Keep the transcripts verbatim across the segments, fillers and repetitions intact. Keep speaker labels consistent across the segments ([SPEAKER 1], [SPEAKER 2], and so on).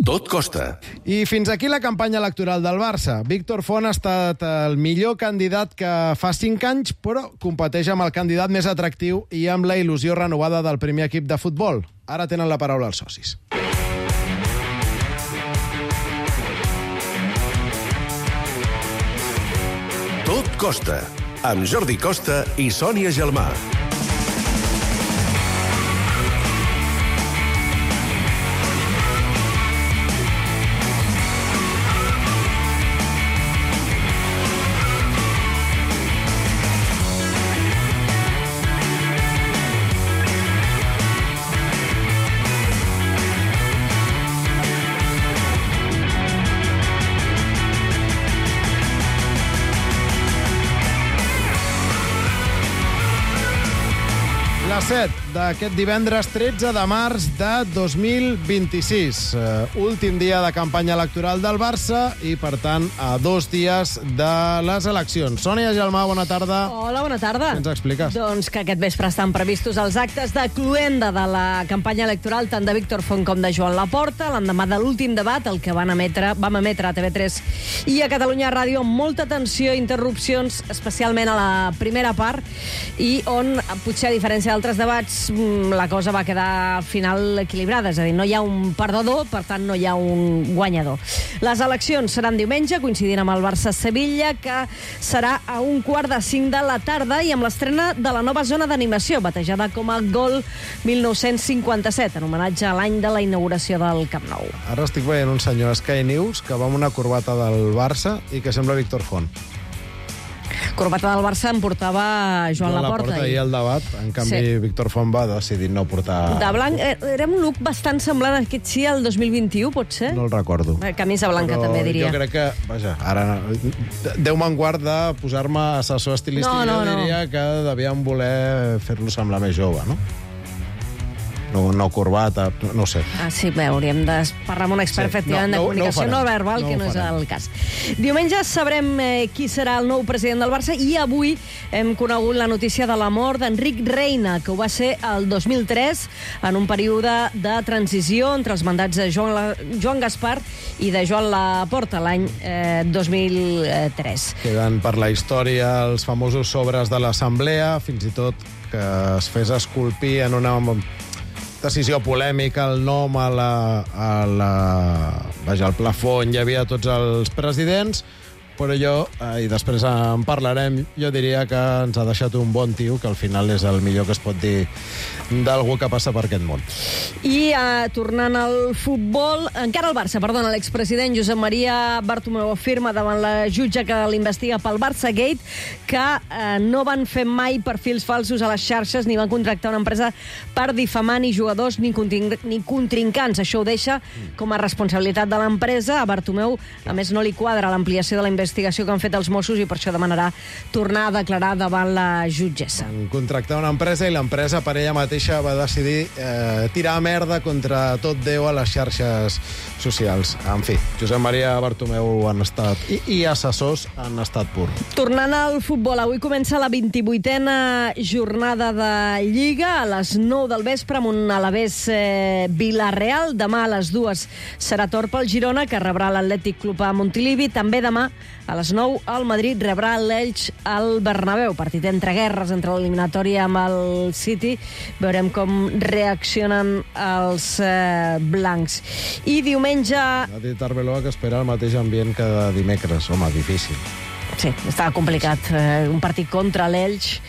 [SPEAKER 1] Tot costa.
[SPEAKER 2] I fins aquí la campanya electoral del Barça. Víctor Font ha estat el millor candidat que fa cinc anys, però competeix amb el candidat més atractiu i amb la il·lusió renovada del primer equip de futbol. Ara tenen la paraula els socis.
[SPEAKER 1] Tot costa, amb Jordi Costa i Sònia Gelmà.
[SPEAKER 2] La set d'aquest divendres tretze de març de dos mil vint-i-sis. Uh, últim dia de campanya electoral del Barça i, per tant, a dos dies de les eleccions. Sònia Gelmà, bona tarda.
[SPEAKER 3] Hola, bona tarda.
[SPEAKER 2] Què ens expliques?
[SPEAKER 3] Doncs que aquest vespre estan previstos els actes de cluenda de la campanya electoral tant de Víctor Font com de Joan Laporta, l'endemà de l'últim debat, el que van emetre, vam emetre a T V tres i a Catalunya Ràdio amb molta tensió i interrupcions, especialment a la primera part, i on, potser a diferència d'altres debats, la cosa va quedar al final equilibrada, és a dir, no hi ha un perdedor, per tant no hi ha un guanyador. Les eleccions seran diumenge, coincidint amb el Barça-Sevilla, que serà a un quart de cinc de la tarda i amb l'estrena de la nova zona d'animació, batejada com a Gol mil nou-cents cinquanta-set, en homenatge a l'any de la inauguració del Camp Nou.
[SPEAKER 2] Ara estic veient un senyor a Sky News que va amb una corbata del Barça i que sembla Víctor Font.
[SPEAKER 3] Corbata del Barça em portava Joan
[SPEAKER 2] Joan
[SPEAKER 3] Laporta.
[SPEAKER 2] Laporta ahir al debat, en canvi
[SPEAKER 3] Sí.
[SPEAKER 2] Víctor Font va decidir no portar...
[SPEAKER 3] De blanc, eh, era un look bastant semblant a aquest sí al dos mil vint-i-u, potser?
[SPEAKER 2] No el recordo.
[SPEAKER 3] Eh, Camisa blanca,
[SPEAKER 2] Però
[SPEAKER 3] també, diria.
[SPEAKER 2] jo crec que, vaja, ara Déu-me'n guard de posar-me assessor estilístic.
[SPEAKER 3] No, no,
[SPEAKER 2] jo
[SPEAKER 3] no.
[SPEAKER 2] diria que devien voler fer-lo semblar més jove, no? No, no corbata, no ho sé.
[SPEAKER 3] Ah, sí, bé, hauríem de parlar amb un expert,
[SPEAKER 2] Sí,
[SPEAKER 3] efectivament,
[SPEAKER 2] no, no,
[SPEAKER 3] de comunicació
[SPEAKER 2] no
[SPEAKER 3] no,
[SPEAKER 2] ho farem.
[SPEAKER 3] verbal,
[SPEAKER 2] No
[SPEAKER 3] que
[SPEAKER 2] ho
[SPEAKER 3] no és
[SPEAKER 2] farem.
[SPEAKER 3] el cas. Diumenge sabrem eh, qui serà el nou president del Barça i avui hem conegut la notícia de la mort d'Enric Reina, que ho va ser el dos mil tres, en un període de transició entre els mandats de Joan, la, Joan Gaspar i de Joan Laporta, l'any eh, dos mil tres.
[SPEAKER 2] Queden per la història els famosos sobres de l'Assemblea, fins i tot que es fes esculpir en una decisió polèmica el nom a la, a la, vaja, al plafó on hi havia tots els presidents, però jo, eh, i després en parlarem, jo diria que ens ha deixat un bon tio, que al final és el millor que es pot dir d'algú que passa per aquest món.
[SPEAKER 3] I eh, tornant al futbol, encara el Barça, perdona, l'expresident Josep Maria Bartomeu afirma davant la jutge que l'investiga pel Barça Gate que eh, no van fer mai perfils falsos a les xarxes ni van contractar una empresa per difamar ni jugadors ni, ni contrincants. Això ho deixa com a responsabilitat de l'empresa. A Bartomeu, a més, no li quadra l'ampliació de la investigació que han fet els Mossos i per això demanarà tornar a declarar davant la jutgessa.
[SPEAKER 2] Van contractar una empresa i l'empresa per ella mateixa va decidir eh, tirar merda contra tot Déu a les xarxes socials. En fi, Josep Maria Bartomeu han estat, i, i assessors han estat pur.
[SPEAKER 3] Tornant al futbol, avui comença la vint-i-vuitena jornada de Lliga a les nou del vespre amb un Alavés eh, Vila-real. Demà a les dues serà Torp al Girona, que rebrà l'Atlètic Club a Montilivi. També demà a les nou el Madrid rebrà l'Elx al Bernabéu. Partit entre guerres, entre l'eliminatòria amb el City. Veurem com reaccionen els eh, blancs. I diumenge...
[SPEAKER 2] Ha dit Arbeloa que espera el mateix ambient que de dimecres. Home, difícil.
[SPEAKER 3] Sí, estava complicat. Eh, un partit contra l'Elx,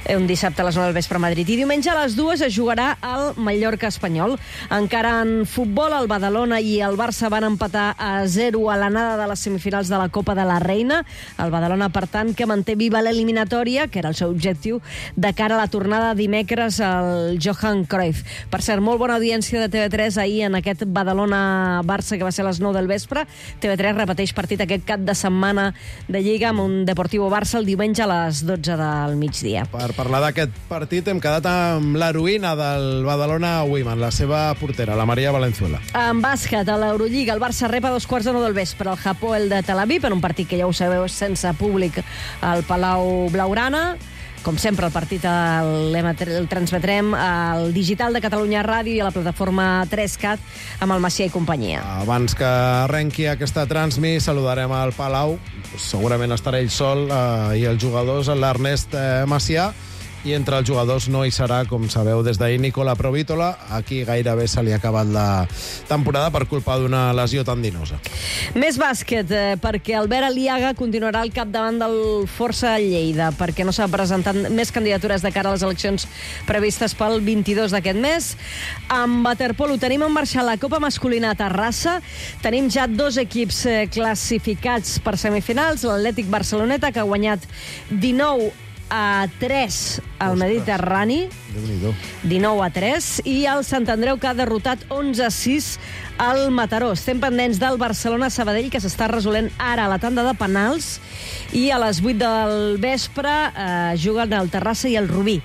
[SPEAKER 3] eh, un dissabte a les nou del vespre a Madrid. I diumenge a les dues es jugarà el Mallorca-Espanyol. Encara en futbol, el Badalona i el Barça van empatar a zero a l'anada de les semifinals de la Copa de la Reina. El Badalona, per tant, que manté viva l'eliminatòria, que era el seu objectiu, de cara a la tornada dimecres al Johan Cruyff. Per cert, molt bona audiència de T V tres ahir en aquest Badalona-Barça, que va ser a les nou del vespre. T V tres repeteix partit aquest cap de setmana de Lliga amb un Deportivo Barça el diumenge a les dotze del migdia.
[SPEAKER 2] Per parlar d'aquest partit hem quedat amb l'heroïna del Badalona Women, la seva portera, la Maria Valenzuela.
[SPEAKER 3] En bàsquet, a l'Eurolliga, el Barça rep a dos quarts de nou del vespre el Hapoel de Tel Aviv en un partit que ja ho sabeu sense públic al Palau Blaugrana. com sempre, el partit el, el transmetrem al digital de Catalunya Ràdio i a la plataforma tres cat amb el Macià i companyia.
[SPEAKER 2] Abans que arrenqui aquesta transmi, saludarem al Palau. Segurament estarà ell sol eh, i els jugadors, l'Ernest eh, Macià. I entre els jugadors no hi serà, com sabeu, des d'ahir Nicola Provítola. Aquí gairebé se li ha acabat la temporada per culpa d'una lesió tendinosa.
[SPEAKER 3] Més bàsquet, eh, perquè Albert Aliaga continuarà al capdavant del Força Lleida, perquè no s'ha presentat més candidatures de cara a les eleccions previstes pel vint-i-dos d'aquest mes. Amb waterpolo tenim en marxa la Copa Masculina a Terrassa. Tenim ja dos equips eh, classificats per semifinals. L'Atlètic Barceloneta, que ha guanyat dinou a tres al Mediterrani, dinou a tres, i el Sant Andreu, que ha derrotat onze a sis al Mataró. Estem pendents del Barcelona-Sabadell, que s'està resolent ara a la tanda de penals, i a les vuit del vespre eh, juguen el Terrassa i el Rubí.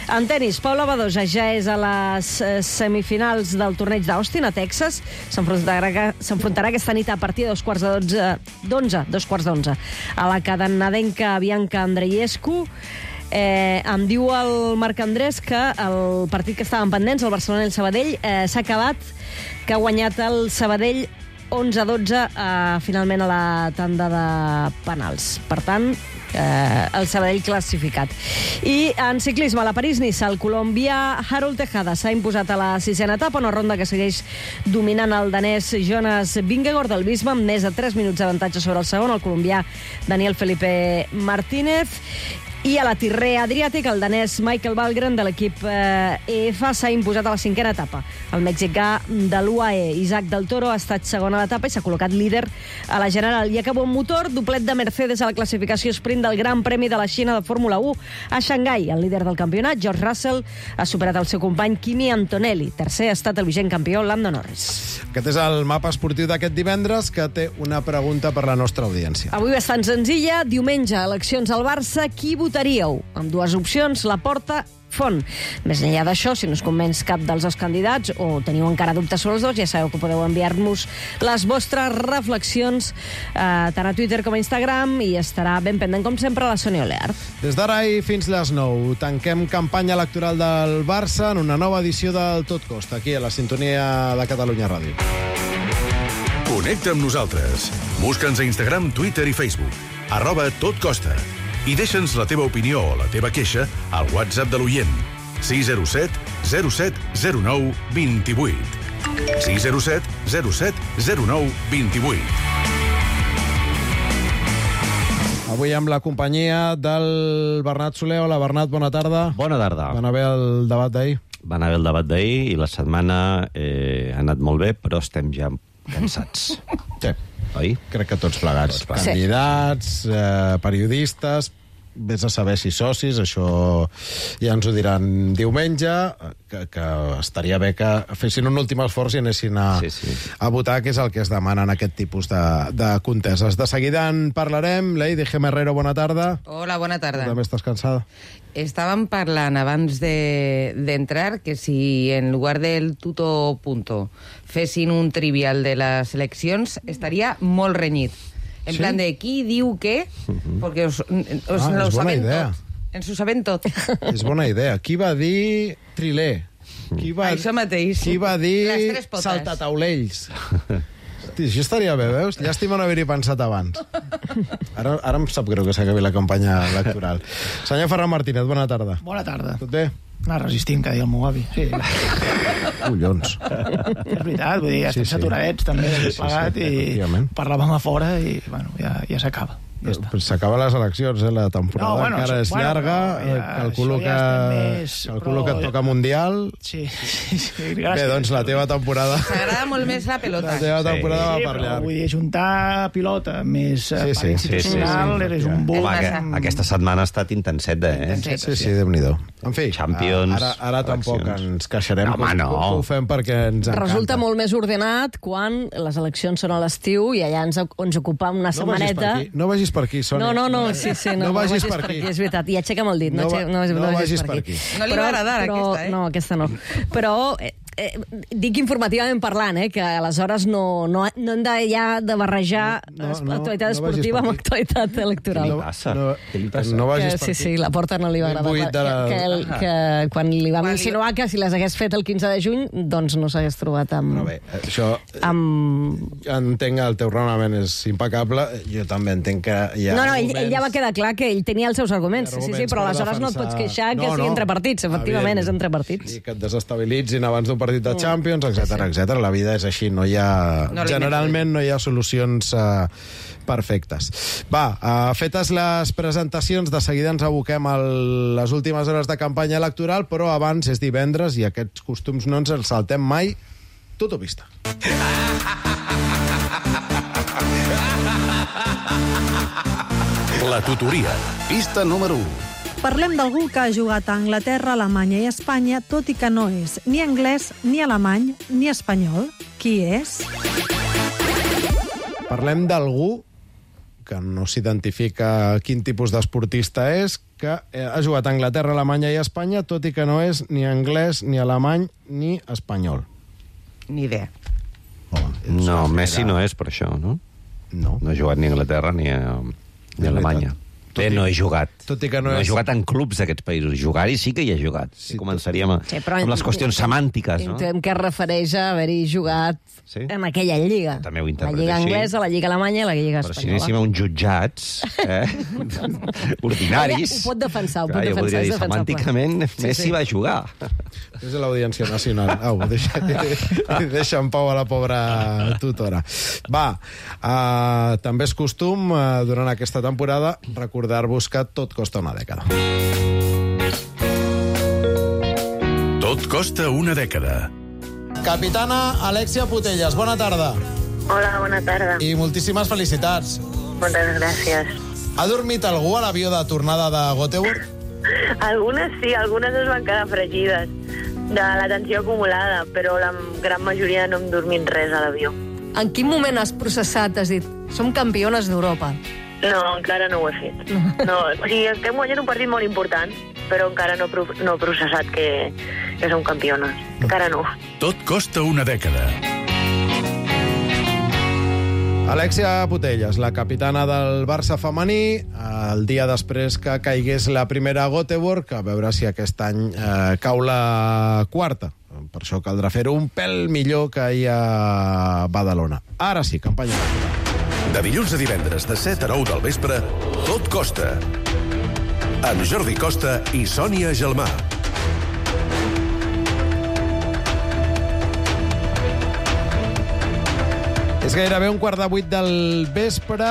[SPEAKER 3] En tenis, Paula Badosa ja és a les semifinals del torneig d'Austin, a Texas. S'enfrontarà aquesta nit a partir de dos quarts d'onze, dos quarts d'onze, a la canadenca Bianca Andreescu. Eh, em diu el Marc Andrés que el partit que estaven pendents, el Barcelona i el Sabadell, eh, s'ha acabat, que ha guanyat el Sabadell onze a dotze eh, finalment a la tanda de penals. Per tant, eh, el Sabadell classificat. I en ciclisme, a la París-Niça, el colombià Harold Tejada s'ha imposat a la sisena etapa, una ronda que segueix dominant el danès Jonas Vingegaard del Bisma, amb més de tres minuts d'avantatge sobre el segon, el colombià Daniel Felipe Martínez. I a la Tirrea Adriàtic, el danès Michael Valgren de l'equip eh, E F s'ha imposat a la cinquena etapa. El mexicà de l'U A E, Isaac del Toro, ha estat segon a l'etapa i s'ha col·locat líder a la general. I acabó un motor, doblet de Mercedes a la classificació sprint del Gran Premi de la Xina de Fórmula u a Xangai. El líder del campionat, George Russell, ha superat el seu company Kimi Antonelli. Tercer ha estat el vigent campió Lando Norris.
[SPEAKER 2] Aquest és el mapa esportiu d'aquest divendres, que té una pregunta per la nostra audiència.
[SPEAKER 3] Avui bastant senzilla. Diumenge, eleccions al Barça. Qui votaríeu? Amb dues opcions, Laporta, Font. Més enllà d'això, si no us convenç cap dels dos candidats o teniu encara dubtes sobre els dos, ja sabeu que podeu enviar-nos les vostres reflexions eh, tant a Twitter com a Instagram, i estarà ben pendent, com sempre, la Sònia Oleart.
[SPEAKER 2] Des d'ara i fins les nou, tanquem campanya electoral del Barça en una nova edició del Tot Costa, aquí a la sintonia de Catalunya Ràdio.
[SPEAKER 1] Connecta amb nosaltres. Busca'ns a Instagram, Twitter i Facebook. Arroba Tot Costa. I deixa'ns la teva opinió o la teva queixa al WhatsApp de l'oient. sis zero set zero set zero nou dos vuit. sis zero set zero set zero nou dos vuit.
[SPEAKER 2] Avui amb la companyia del Bernat Soler. Hola, Bernat, bona tarda.
[SPEAKER 4] Bona tarda.
[SPEAKER 2] Va anar bé el debat d'ahir?
[SPEAKER 4] Va anar bé el debat d'ahir i la setmana eh, ha anat molt bé, però estem ja cansats.
[SPEAKER 2] Sí.
[SPEAKER 4] Oi?
[SPEAKER 2] Crec que tots plegats.
[SPEAKER 4] Tots plegats.
[SPEAKER 2] Candidats, eh, periodistes, vés a saber si socis, això ja ens ho diran diumenge, que, que estaria bé que fessin un últim esforç i anessin a,
[SPEAKER 4] Sí, sí.
[SPEAKER 2] a votar, que és el que es demana en aquest tipus de, de conteses. De seguida en parlarem. Lady G. Herrero, bona tarda.
[SPEAKER 5] Hola, bona tarda.
[SPEAKER 2] Tu també estàs cansada?
[SPEAKER 5] Estàvem parlant abans de- d'entrar que si en lugar del tuto punto fessin un trivial de les eleccions, estaria molt renyit. En
[SPEAKER 2] Sí?
[SPEAKER 5] plan de qui diu què, perquè us, us
[SPEAKER 2] Ah,
[SPEAKER 5] lo
[SPEAKER 2] és bona
[SPEAKER 5] sabem
[SPEAKER 2] idea.
[SPEAKER 5] tot. Ens ho sabem tot.
[SPEAKER 2] És bona idea. Qui va dir Trilé? Qui va,
[SPEAKER 5] Això mateix.
[SPEAKER 2] Qui va dir
[SPEAKER 5] Les tres potes.
[SPEAKER 2] saltataulells? Hosti, això estaria bé, veus? Llàstima no haver-hi pensat abans. Ara, ara em sap greu que s'acabi la campanya electoral. Senyor Ferran Martínez, bona tarda.
[SPEAKER 6] Bona tarda.
[SPEAKER 2] Tot bé?
[SPEAKER 6] Anar resistint, que deia el meu avi. Sí.
[SPEAKER 2] Collons.
[SPEAKER 6] És veritat, vull dir, ja
[SPEAKER 2] Sí,
[SPEAKER 6] estem
[SPEAKER 2] sí.
[SPEAKER 6] saturadets, també,
[SPEAKER 2] Sí, sí,
[SPEAKER 6] plegat,
[SPEAKER 2] sí,
[SPEAKER 6] i
[SPEAKER 2] efectivament.
[SPEAKER 6] parlàvem a fora i, bueno, ja, ja s'acaba. Ja està.
[SPEAKER 2] Però s'acaben les eleccions, eh? La temporada
[SPEAKER 6] No, bueno,
[SPEAKER 2] encara és
[SPEAKER 6] bueno,
[SPEAKER 2] llarga.
[SPEAKER 6] però ja,
[SPEAKER 2] eh, calculo
[SPEAKER 6] això
[SPEAKER 2] que,
[SPEAKER 6] ja estem més-
[SPEAKER 2] calculo
[SPEAKER 6] però-
[SPEAKER 2] que et toca Mundial.
[SPEAKER 6] Sí, sí, sí, gràcies.
[SPEAKER 2] Bé, doncs la teva temporada...
[SPEAKER 5] M'agrada molt més la pelota.
[SPEAKER 2] La teva temporada
[SPEAKER 6] Sí,
[SPEAKER 2] va
[SPEAKER 6] però
[SPEAKER 2] per llarg.
[SPEAKER 6] vull dir, juntar pilota més
[SPEAKER 2] Sí,
[SPEAKER 6] sí,
[SPEAKER 2] sí,
[SPEAKER 6] part
[SPEAKER 2] sí,
[SPEAKER 6] institucional,
[SPEAKER 2] sí, sí.
[SPEAKER 6] eres un buc.
[SPEAKER 4] Home,
[SPEAKER 5] massa.
[SPEAKER 4] que, aquesta setmana ha estat intenseta, eh?
[SPEAKER 5] Intenset.
[SPEAKER 2] Sí, sí, Déu-n'hi-do. En fi,
[SPEAKER 4] Champions,
[SPEAKER 2] ara, ara tampoc
[SPEAKER 4] eleccions.
[SPEAKER 2] ens queixarem.
[SPEAKER 4] Home,
[SPEAKER 2] que
[SPEAKER 4] no.
[SPEAKER 2] Ho, ho fem perquè ens encanta.
[SPEAKER 3] Resulta molt més ordenat quan les eleccions són a l'estiu i allà ens, ens ocupam una
[SPEAKER 2] No vagis per
[SPEAKER 3] setmaneta.
[SPEAKER 2] aquí, no vagis per aquí, Sònia.
[SPEAKER 3] No, no, no, sí, sí, no,
[SPEAKER 2] No vagis per aquí.
[SPEAKER 3] És veritat, i aixeca'm el dit. No,
[SPEAKER 2] No
[SPEAKER 3] no,
[SPEAKER 2] va-
[SPEAKER 3] no, no,
[SPEAKER 2] no
[SPEAKER 3] vagis,
[SPEAKER 2] vagis
[SPEAKER 3] per
[SPEAKER 2] per
[SPEAKER 3] aquí.
[SPEAKER 2] aquí.
[SPEAKER 5] No li va agradar, aquesta, eh?
[SPEAKER 3] No, aquesta no. Però eh, eh, dic informativament parlant, eh, que aleshores no, no, no hem de, ja de barrejar
[SPEAKER 2] No, no, no,
[SPEAKER 3] actualitat
[SPEAKER 2] no vagis
[SPEAKER 3] esportiva
[SPEAKER 2] per
[SPEAKER 3] amb
[SPEAKER 2] aquí.
[SPEAKER 3] actualitat electoral.
[SPEAKER 4] Què li passa?
[SPEAKER 2] No,
[SPEAKER 4] Què li passa?
[SPEAKER 2] no
[SPEAKER 3] Que,
[SPEAKER 2] vagis per
[SPEAKER 3] sí,
[SPEAKER 2] aquí.
[SPEAKER 3] sí, la Porta no li va
[SPEAKER 2] Ben
[SPEAKER 3] agradar.
[SPEAKER 2] buit de la-
[SPEAKER 3] Que, que, el, que quan li vam insinuar que si les hagués fet el quinze de juny, doncs no s'hagués trobat amb...
[SPEAKER 2] Però bé, això...
[SPEAKER 3] amb...
[SPEAKER 2] Entenc el teu raonament és impecable. Jo també entenc que hi ha
[SPEAKER 3] No, no, ell,
[SPEAKER 2] arguments...
[SPEAKER 3] ell ja va quedar clar que ell tenia els seus arguments,
[SPEAKER 2] Hi ha
[SPEAKER 3] sí, sí,
[SPEAKER 2] arguments
[SPEAKER 3] però
[SPEAKER 2] per
[SPEAKER 3] aleshores no et
[SPEAKER 2] defensar-
[SPEAKER 3] pots queixar que
[SPEAKER 2] No,
[SPEAKER 3] sigui
[SPEAKER 2] no,
[SPEAKER 3] entre partits. Efectivament, és entre partits.
[SPEAKER 2] I que et desestabilitzin abans d'un partit de Champions, etcètera, etcètera. La vida és així, no hi ha...
[SPEAKER 5] No li
[SPEAKER 2] generalment no hi ha solucions uh, perfectes. Va, uh, fetes les presentacions, de seguida ens aboquem a les últimes hores de campanya electoral, però abans és divendres i aquests costums no ens els saltem mai. Tutopista.
[SPEAKER 1] La tutoria. Pista número u.
[SPEAKER 7] Parlem d'algú que ha jugat a Anglaterra, Alemanya i Espanya, tot i que no és ni anglès, ni alemany, ni espanyol. Qui és?
[SPEAKER 2] Parlem d'algú que no s'identifica quin tipus d'esportista és, que ha jugat a Anglaterra, Alemanya i Espanya, tot i que no és ni anglès, ni alemany, ni espanyol.
[SPEAKER 5] Ni idea.
[SPEAKER 2] Home,
[SPEAKER 4] No, Messi no és per això, no?
[SPEAKER 2] No.
[SPEAKER 4] No ha jugat ni a Anglaterra ni a, ni a Alemanya.
[SPEAKER 2] Tot
[SPEAKER 4] Bé,
[SPEAKER 2] i-
[SPEAKER 4] no he jugat.
[SPEAKER 2] tot i que no
[SPEAKER 4] no he
[SPEAKER 2] és-
[SPEAKER 4] jugat en clubs d'aquests països. Jugar-hi sí que hi he jugat.
[SPEAKER 2] Sí,
[SPEAKER 4] Sí, començaríem a,
[SPEAKER 3] Sí, però
[SPEAKER 4] amb les qüestions semàntiques, no?
[SPEAKER 3] Intuem que es refereix a haver-hi jugat
[SPEAKER 4] Sí?
[SPEAKER 3] en aquella lliga.
[SPEAKER 4] També ho
[SPEAKER 3] la
[SPEAKER 4] interpreto
[SPEAKER 3] lliga
[SPEAKER 4] així.
[SPEAKER 3] anglesa, la lliga alemanya i la lliga
[SPEAKER 4] Però si
[SPEAKER 3] espanyola.
[SPEAKER 4] anéssim a uns jutjats eh? ordinaris...
[SPEAKER 3] Ella ho pot defensar, ho pot
[SPEAKER 4] clar, jo
[SPEAKER 3] defensar,
[SPEAKER 4] podria
[SPEAKER 3] és
[SPEAKER 4] dir,
[SPEAKER 3] defensable.
[SPEAKER 4] semànticament,
[SPEAKER 3] Sí,
[SPEAKER 4] Messi
[SPEAKER 3] sí.
[SPEAKER 4] va jugar.
[SPEAKER 2] És de l'Audiència Nacional. Au, deixa, deixa en pau a la pobra tutora. Va, uh, també és costum, uh, durant aquesta temporada, recordar-vos que tot costa una dècada.
[SPEAKER 1] Tot costa una dècada.
[SPEAKER 2] Capitana Alexia Putellas, bona tarda.
[SPEAKER 8] Hola, bona tarda.
[SPEAKER 2] I moltíssimes felicitats.
[SPEAKER 8] Moltes gràcies.
[SPEAKER 2] Ha dormit algú a l'avió de tornada de Göteborg?
[SPEAKER 8] Algunes sí, algunes es van quedar fregides de la tensió acumulada, però la gran majoria no hem dormit res a l'avió.
[SPEAKER 3] En quin moment has processat, has dit, som campiones d'Europa?
[SPEAKER 8] No, encara no ho he fet. No, o sigui, que hem guanyat un partit molt important, però encara no, pro- no he processat que, que som campiones. Encara no.
[SPEAKER 1] Tot costa una dècada.
[SPEAKER 2] Alexia Putellas, la capitana del Barça femení, el dia després que caigués la primera a Göteborg, a veure si aquest any eh, cau la quarta. Per això caldrà fer-ho un pèl millor que ahir a Badalona. Ara sí, campanya electoral.
[SPEAKER 1] De dilluns a divendres, de set a nou del vespre, Tot costa. Amb Jordi Costa i Sònia Gelmà.
[SPEAKER 2] És gairebé un quart de vuit del vespre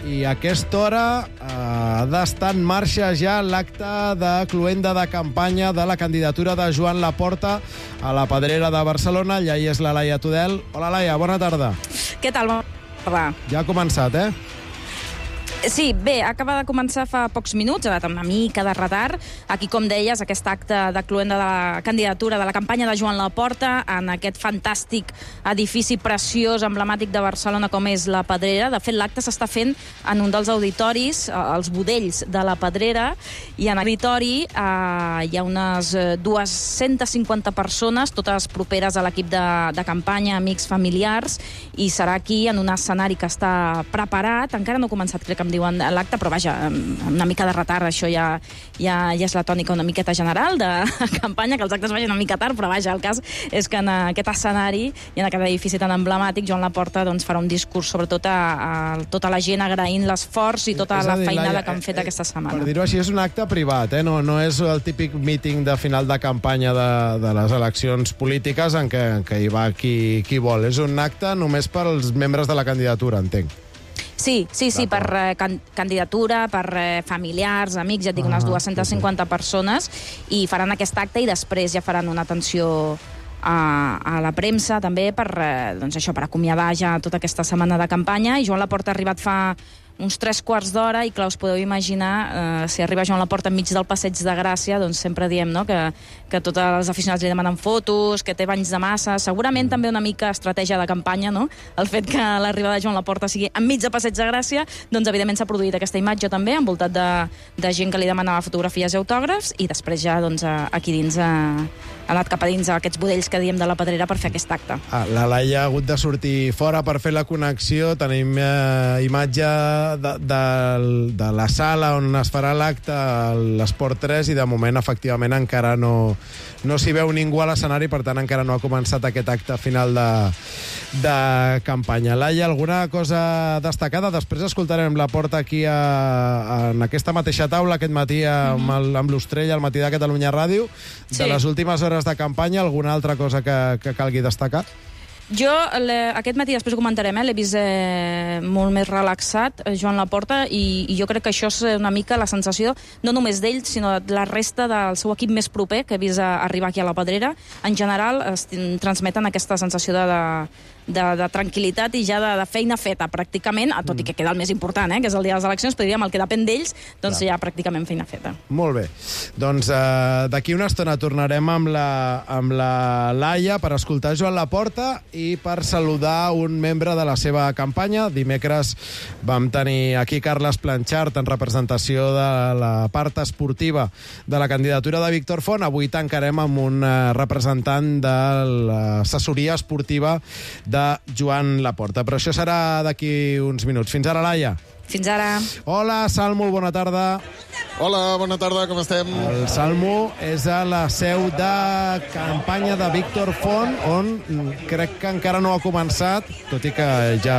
[SPEAKER 2] i a aquesta hora eh, ha d'estar en marxa ja l'acte de cloenda de campanya de la candidatura de Joan Laporta a la Pedrera de Barcelona. Allà hi és la Laia Tudel. Hola, Laia, bona tarda.
[SPEAKER 9] Què tal? Bona tarda.
[SPEAKER 2] Ja ha començat, eh?
[SPEAKER 9] Sí, bé, acaba de començar fa pocs minuts, ha anat amb una mica de retard. Aquí, com deies, aquest acte de cloenda de la candidatura de la campanya de Joan Laporta en aquest fantàstic edifici preciós, emblemàtic de Barcelona com és la Pedrera. De fet, l'acte s'està fent en un dels auditoris, els Budells de la Pedrera, i en l'auditori eh, hi ha unes dues-centes cinquanta persones, totes properes a l'equip de, de campanya, amics, familiars, i serà aquí, en un escenari que està preparat. Encara no ha començat, crec que em diuen l'acte, però vaja, amb una mica de retard, això ja, ja, ja és la tònica una miqueta general de campanya, que els actes vagin una mica tard, però vaja, el cas és que en aquest escenari i en aquest edifici tan emblemàtic, Joan Laporta doncs, farà un discurs, sobretot a, a tota la gent agraint l'esforç i tota
[SPEAKER 2] És a
[SPEAKER 9] la
[SPEAKER 2] dir,
[SPEAKER 9] feinada
[SPEAKER 2] Laia,
[SPEAKER 9] que han fet
[SPEAKER 2] eh,
[SPEAKER 9] aquesta setmana.
[SPEAKER 2] Per dir-ho així, és un acte privat, eh? no, no és el típic míting de final de campanya de, de les eleccions polítiques en què, en què hi va qui, qui vol. És un acte només per als membres de la candidatura, entenc.
[SPEAKER 9] Sí, sí, sí, per eh, can candidatura, per eh, familiars, amics, ja et dic, unes
[SPEAKER 2] Ah,
[SPEAKER 9] dues-centes cinquanta persones, i faran aquest acte i després ja faran una atenció a, a la premsa, també, per, eh, doncs això, per acomiadar ja tota aquesta setmana de campanya. I Joan Laporta ha arribat fa uns tres quarts d'hora, i clar, us podeu imaginar, eh, si arriba Joan Laporta enmig del Passeig de Gràcia, doncs sempre diem, no?, que, que tots els aficionats li demanen fotos, que té banys de massa, segurament també una mica estratègia de campanya, no?, el fet que l'arribada de Joan Laporta sigui enmig del Passeig de Gràcia, doncs evidentment s'ha produït aquesta imatge també, envoltat de, de gent que li demanava fotografies i autògrafs, i després ja, doncs, aquí dins ha, ha anat cap a dins a aquests budells que diem de la Pedrera per fer aquest acte.
[SPEAKER 2] Ah, la Laia ha hagut de sortir fora per fer la connexió. Tenim eh, imatge de, de, de la sala on es farà l'acte a l'Esport tres i de moment efectivament encara no, no s'hi veu ningú a l'escenari, per tant encara no ha començat aquest acte final de, de campanya. Laia, alguna cosa destacada? Després escoltarem Laporta aquí a, a, en aquesta mateixa taula aquest matí amb, mm-hmm. amb l'Ostrell al matí de Catalunya Ràdio. De
[SPEAKER 9] sí.
[SPEAKER 2] les últimes hores de campanya, alguna altra cosa que, que calgui destacar?
[SPEAKER 9] Jo, aquest matí, després ho comentarem, eh, l'he vist eh, molt més relaxat, eh, Joan Laporta, i, i jo crec que això és una mica la sensació, no només d'ell, sinó de la resta del seu equip més proper, que he vist a, arribar aquí a la Pedrera. En general, es transmeten aquesta sensació de, de, de, de tranquil·litat i ja de, de feina feta, pràcticament, tot mm. i que queda el més important, eh, que és el dia de les eleccions, però diríem el que depèn d'ells, doncs Clar. ja pràcticament feina feta.
[SPEAKER 2] Molt bé. Doncs eh, d'aquí una estona tornarem amb la, amb la Laia per escoltar Joan Laporta i per saludar un membre de la seva campanya. Dimecres vam tenir aquí Carles Planchart en representació de la part esportiva de la candidatura de Víctor Font. Avui tancarem amb un representant de l'assessoria esportiva de Joan Laporta. Però això serà d'aquí uns minuts. Fins ara, Laia.
[SPEAKER 9] Fins ara.
[SPEAKER 2] Hola, Salmo, bona tarda.
[SPEAKER 10] Hola, bona tarda, com estem?
[SPEAKER 2] El Salmo és a la seu de campanya de Víctor Font, on crec que encara no ha començat, tot i que ja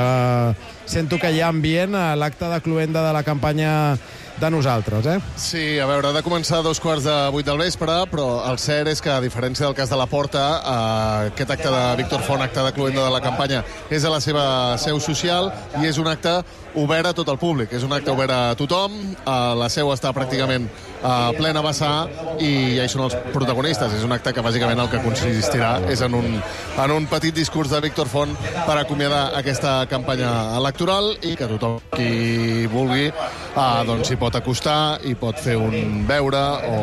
[SPEAKER 2] sento que hi ha ambient a l'acte de cloenda de la campanya de nosaltres, eh?
[SPEAKER 10] Sí, a veure, ha de començar a dos quarts de vuit del vespre, però el cert és que, a diferència del cas de Laporta, eh, aquest acte de Víctor Font, acte de cloenda de la campanya, és a la seva seu social i és un acte obert a tot el públic. És un acte obert a tothom, eh, la seu està pràcticament a plena vessar i ja hi són els protagonistes. És un acte que, bàsicament, el que consistirà és en un, en un petit discurs de Víctor Font per acomiadar aquesta campanya electoral i que tothom qui vulgui eh, doncs s'hi pot acostar i pot fer un beure o,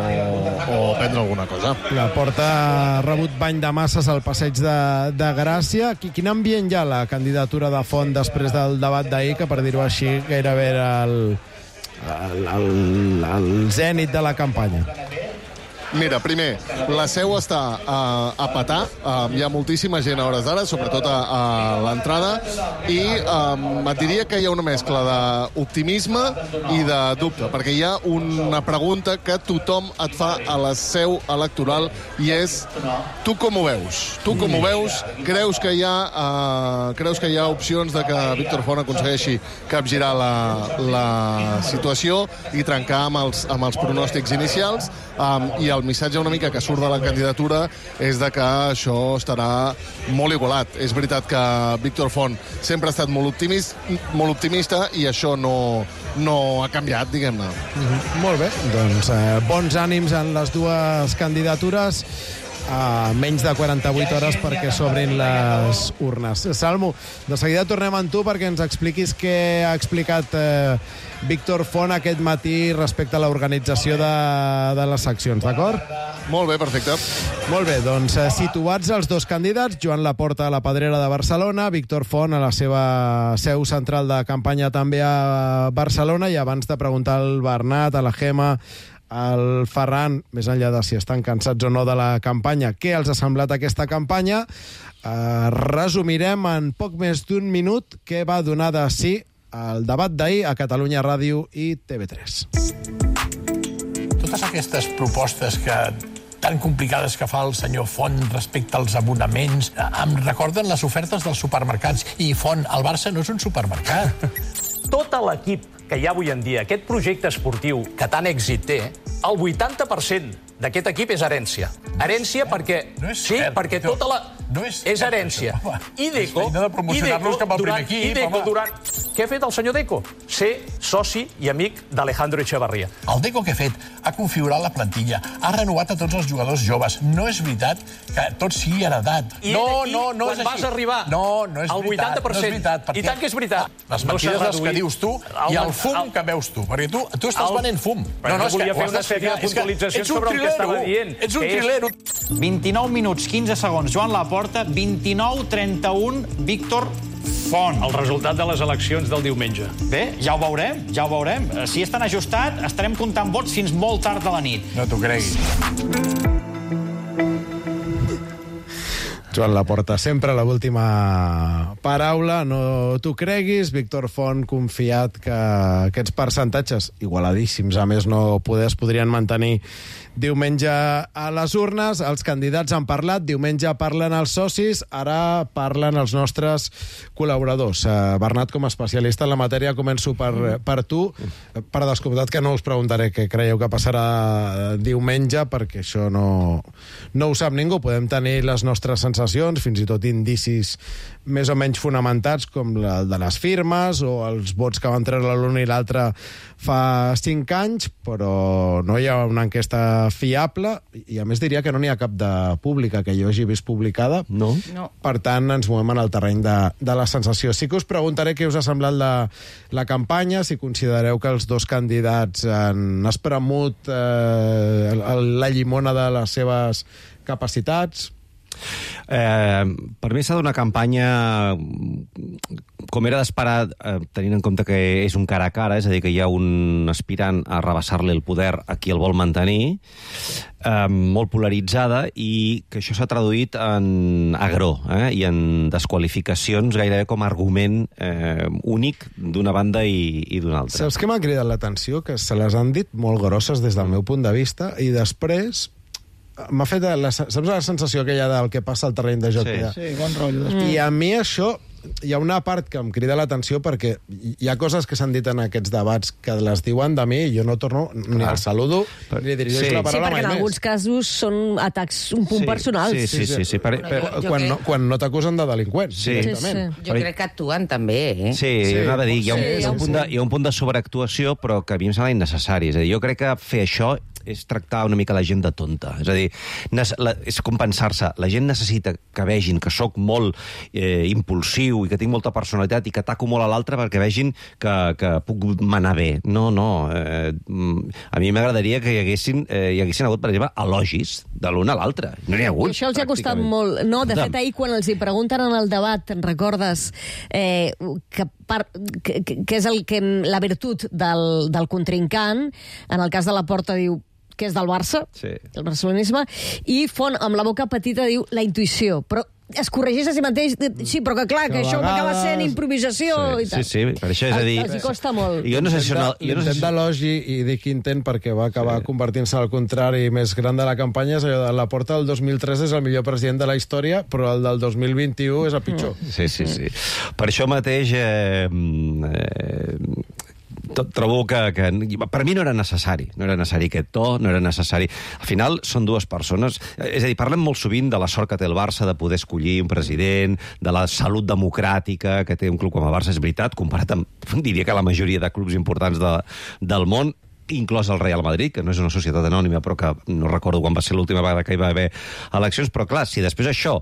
[SPEAKER 10] o prendre alguna cosa.
[SPEAKER 2] La Porta ha rebut bany de masses al passeig de, de Gràcia. Quin ambient hi ha la candidatura de Font després del debat d'ahir, que, per dir-ho així, gairebé era el, el, el, el zènit de la campanya?
[SPEAKER 10] Mira, primer, la seu està uh, a petar, uh, hi ha moltíssima gent a hores d'ara, sobretot a, a l'entrada, i um, et diria que hi ha una mescla d'optimisme i de dubte, perquè hi ha una pregunta que tothom et fa a la seu electoral i és, tu com ho veus? Tu com ho veus? Creus que hi ha, uh, creus que hi ha opcions de que Víctor Font aconsegueixi capgirar la, la situació i trencar amb els, amb els pronòstics inicials? Um, i el missatge una mica que surt de la candidatura és de que això estarà molt igualat. És veritat que Víctor Font sempre ha estat molt optimista, molt optimista i això no, no ha canviat, diguem-ne.
[SPEAKER 2] Mm-hmm. Molt bé, doncs eh, bons ànims en les dues candidatures a menys de quaranta-vuit hores perquè s'obrin les urnes. Salmo, de seguida tornem amb tu perquè ens expliquis què ha explicat eh, Víctor Font aquest matí respecte a l'organització de, de les seccions, d'acord?
[SPEAKER 10] Molt bé, perfecte.
[SPEAKER 2] Molt bé, doncs eh, situats els dos candidats, Joan Laporta a la Pedrera de Barcelona, Víctor Font a la seva seu central de campanya també a Barcelona, i abans de preguntar al Bernat, a la Gemma, al Ferran, més enllà de si estan cansats o no de la campanya, què els ha semblat aquesta campanya, eh, resumirem en poc més d'un minut què va donar de sí el debat d'ahir a Catalunya Ràdio i T V tres.
[SPEAKER 11] Totes aquestes propostes que tan complicades que fa el senyor Font respecte als abonaments em recorden les ofertes dels supermercats. I Font, el Barça no és un supermercat.
[SPEAKER 12] Tot l'equip que hi ha avui en dia, aquest projecte esportiu que tant èxit té, el vuitanta per cent d'aquest equip és herència. Herència perquè...
[SPEAKER 11] No és
[SPEAKER 12] sí,
[SPEAKER 11] cert,
[SPEAKER 12] perquè
[SPEAKER 11] no,
[SPEAKER 12] tota la...
[SPEAKER 11] No és
[SPEAKER 12] és herència.
[SPEAKER 11] Això,
[SPEAKER 12] I Deco...
[SPEAKER 11] És feina de promocionar-los cap al primer equip,
[SPEAKER 12] I Deco
[SPEAKER 11] home.
[SPEAKER 12] durant... Què ha fet el senyor Deco? Ser soci i amic d'Alejandro Echevarría.
[SPEAKER 11] El Deco que ha fet? Ha configurat la plantilla, ha renovat a tots els jugadors joves. No és veritat que tot sigui heredat.
[SPEAKER 12] I
[SPEAKER 11] no,
[SPEAKER 12] aquí,
[SPEAKER 11] no, no
[SPEAKER 12] quan
[SPEAKER 11] és
[SPEAKER 12] vas arribar
[SPEAKER 11] no, no és
[SPEAKER 12] al
[SPEAKER 11] veritat,
[SPEAKER 12] vuitanta per cent,
[SPEAKER 11] no és veritat, perquè
[SPEAKER 12] i tant que és veritat.
[SPEAKER 11] Les
[SPEAKER 12] No
[SPEAKER 11] mentides
[SPEAKER 12] s'ha
[SPEAKER 11] les que
[SPEAKER 12] reduït.
[SPEAKER 11] dius tu
[SPEAKER 12] El-
[SPEAKER 11] i el fum
[SPEAKER 12] el-
[SPEAKER 11] que veus tu, perquè tu, tu estàs
[SPEAKER 12] El-
[SPEAKER 11] venent fum.
[SPEAKER 12] Però jo volia fer una sèrie de puntualitzacions sobre el que estava dient.
[SPEAKER 11] Ets un
[SPEAKER 12] que és-
[SPEAKER 11] trilero.
[SPEAKER 13] vint-i-nou minuts, quinze segons, Joan Laporta, vint-i-nou trenta-un, Víctor Font.
[SPEAKER 12] El resultat de les eleccions del diumenge.
[SPEAKER 13] Bé, ja ho veurem, ja ho veurem. Si és tan ajustat, estarem comptant vots fins molt tard a la nit.
[SPEAKER 11] No t'ho creguis.
[SPEAKER 2] Joan Laporta, sempre la última paraula, no t'ho creguis. Víctor Font, confiat que aquests percentatges, igualadíssims, a més no poder, es podrien mantenir diumenge a les urnes. Els candidats han parlat, diumenge parlen els socis, ara parlen els nostres col·laboradors. Uh, Bernat, com a especialista en la matèria, començo per, per tu. Per descomptat que no us preguntaré què creieu que passarà diumenge, perquè això no, no ho sap ningú. Podem tenir les nostres sensacions, fins i tot indicis més o menys fonamentats, com el de les firmes o els vots que van treure l'un i l'altre fa cinc anys, però no hi ha una enquesta fiable, i a més diria que no n'hi ha cap de pública que jo hagi vist publicada.
[SPEAKER 4] No.
[SPEAKER 5] No.
[SPEAKER 2] Per tant, ens movem en el terreny de, de la sensació. Sí que us preguntaré què us ha semblat la, la campanya, si considereu que els dos candidats han espremut eh, la llimona de les seves capacitats.
[SPEAKER 4] Eh, per mi s'ha d'una campanya com era d'esperar, eh, tenint en compte que és un cara a cara, és a dir, que hi ha un aspirant a rebassar-li el poder a qui el vol mantenir, eh, molt polaritzada, i que això s'ha traduït en agró eh, i en desqualificacions gairebé com a argument eh, únic d'una banda i, i d'una altra.
[SPEAKER 2] Saps què m'ha cridat l'atenció? Que se les han dit molt grosses des del meu punt de vista, i després m'ha fet la, saps la sensació aquella del que passa al terreny de joc?
[SPEAKER 4] Sí.
[SPEAKER 2] Ja?
[SPEAKER 6] Sí, bon rotllo.
[SPEAKER 2] I a mi això, hi ha una part que em crida l'atenció, perquè hi ha coses que s'han dit en aquests debats que les diuen de mi i jo no torno ni
[SPEAKER 4] Clar.
[SPEAKER 2] el saludo
[SPEAKER 4] Per-
[SPEAKER 2] ni dirigeix
[SPEAKER 4] Sí.
[SPEAKER 2] la
[SPEAKER 3] Sí,
[SPEAKER 2] paraula
[SPEAKER 3] perquè en
[SPEAKER 2] mai
[SPEAKER 3] alguns
[SPEAKER 2] més.
[SPEAKER 3] casos són atacs un punt
[SPEAKER 4] Sí,
[SPEAKER 3] personals.
[SPEAKER 4] sí, sí, sí, sí, per- per-
[SPEAKER 5] Jo
[SPEAKER 2] Quan
[SPEAKER 5] crec-
[SPEAKER 2] no, quan no t'acusen de delinqüents,
[SPEAKER 4] Sí.
[SPEAKER 2] directament.
[SPEAKER 3] Sí,
[SPEAKER 5] Jo crec que actuen també, eh?
[SPEAKER 4] Sí,
[SPEAKER 2] Sí,
[SPEAKER 4] sí, anava a dir, hi ha un,
[SPEAKER 3] sí,
[SPEAKER 4] hi ha un, punt de, hi ha un punt de sobreactuació, però que a mi em sembla innecessari. És a dir, jo crec que fer això és tractar una mica la gent de tonta. És a dir, la, és compensar-se. La gent necessita que vegin que sóc molt eh, impulsiu i que tinc molta personalitat i que ataco molt a l'altre perquè vegin que, que puc manar bé. No, no. Eh, a mi m'agradaria que hi haguessin, eh, hi haguessin hagut, per exemple, elogis de l'un a l'altre. No n'hi ha hagut.
[SPEAKER 3] I això els ha costat
[SPEAKER 4] pràcticament.
[SPEAKER 3] molt. No, de fet,
[SPEAKER 4] Escolta'm,
[SPEAKER 3] ahir, quan els hi pregunten en el debat, te'n recordes eh, que, par, que, que és el que la virtut del, del contrincant, en el cas de Laporta diu que és del Barça,
[SPEAKER 4] Sí.
[SPEAKER 3] el barcelonisme, i Font, amb la boca petita, diu la intuïció. Però es corregeix a si mateix, sí, però que clar, que,
[SPEAKER 2] Que a
[SPEAKER 3] això acaba
[SPEAKER 2] vegades-
[SPEAKER 3] sent improvisació
[SPEAKER 4] Sí,
[SPEAKER 3] i tal.
[SPEAKER 4] sí, sí, per això és a dir...
[SPEAKER 3] Els hi costa molt.
[SPEAKER 4] Jo no sé si... No, jo no sé
[SPEAKER 2] L'intent
[SPEAKER 4] si...
[SPEAKER 2] d'elogi, i dic intent perquè va acabar sí. convertint-se al contrari més gran de la campanya, és allò de Laporta del dos mil tres és el millor president de la història, però el del dos mil vint-i-u és el pitjor.
[SPEAKER 4] Sí, sí, sí. Per això mateix... Eh, eh, tot, trobo que, que... Per mi no era necessari. No era necessari aquest to, no era necessari... Al final són dues persones... És a dir, parlem molt sovint de la sort que té el Barça de poder escollir un president, de la salut democràtica que té un club com el Barça, és veritat, comparat amb, diria que la majoria de clubs importants de, del món, inclòs el Real Madrid, que no és una societat anònima, però que no recordo quan va ser l'última vegada que hi va haver eleccions, però clar, si després això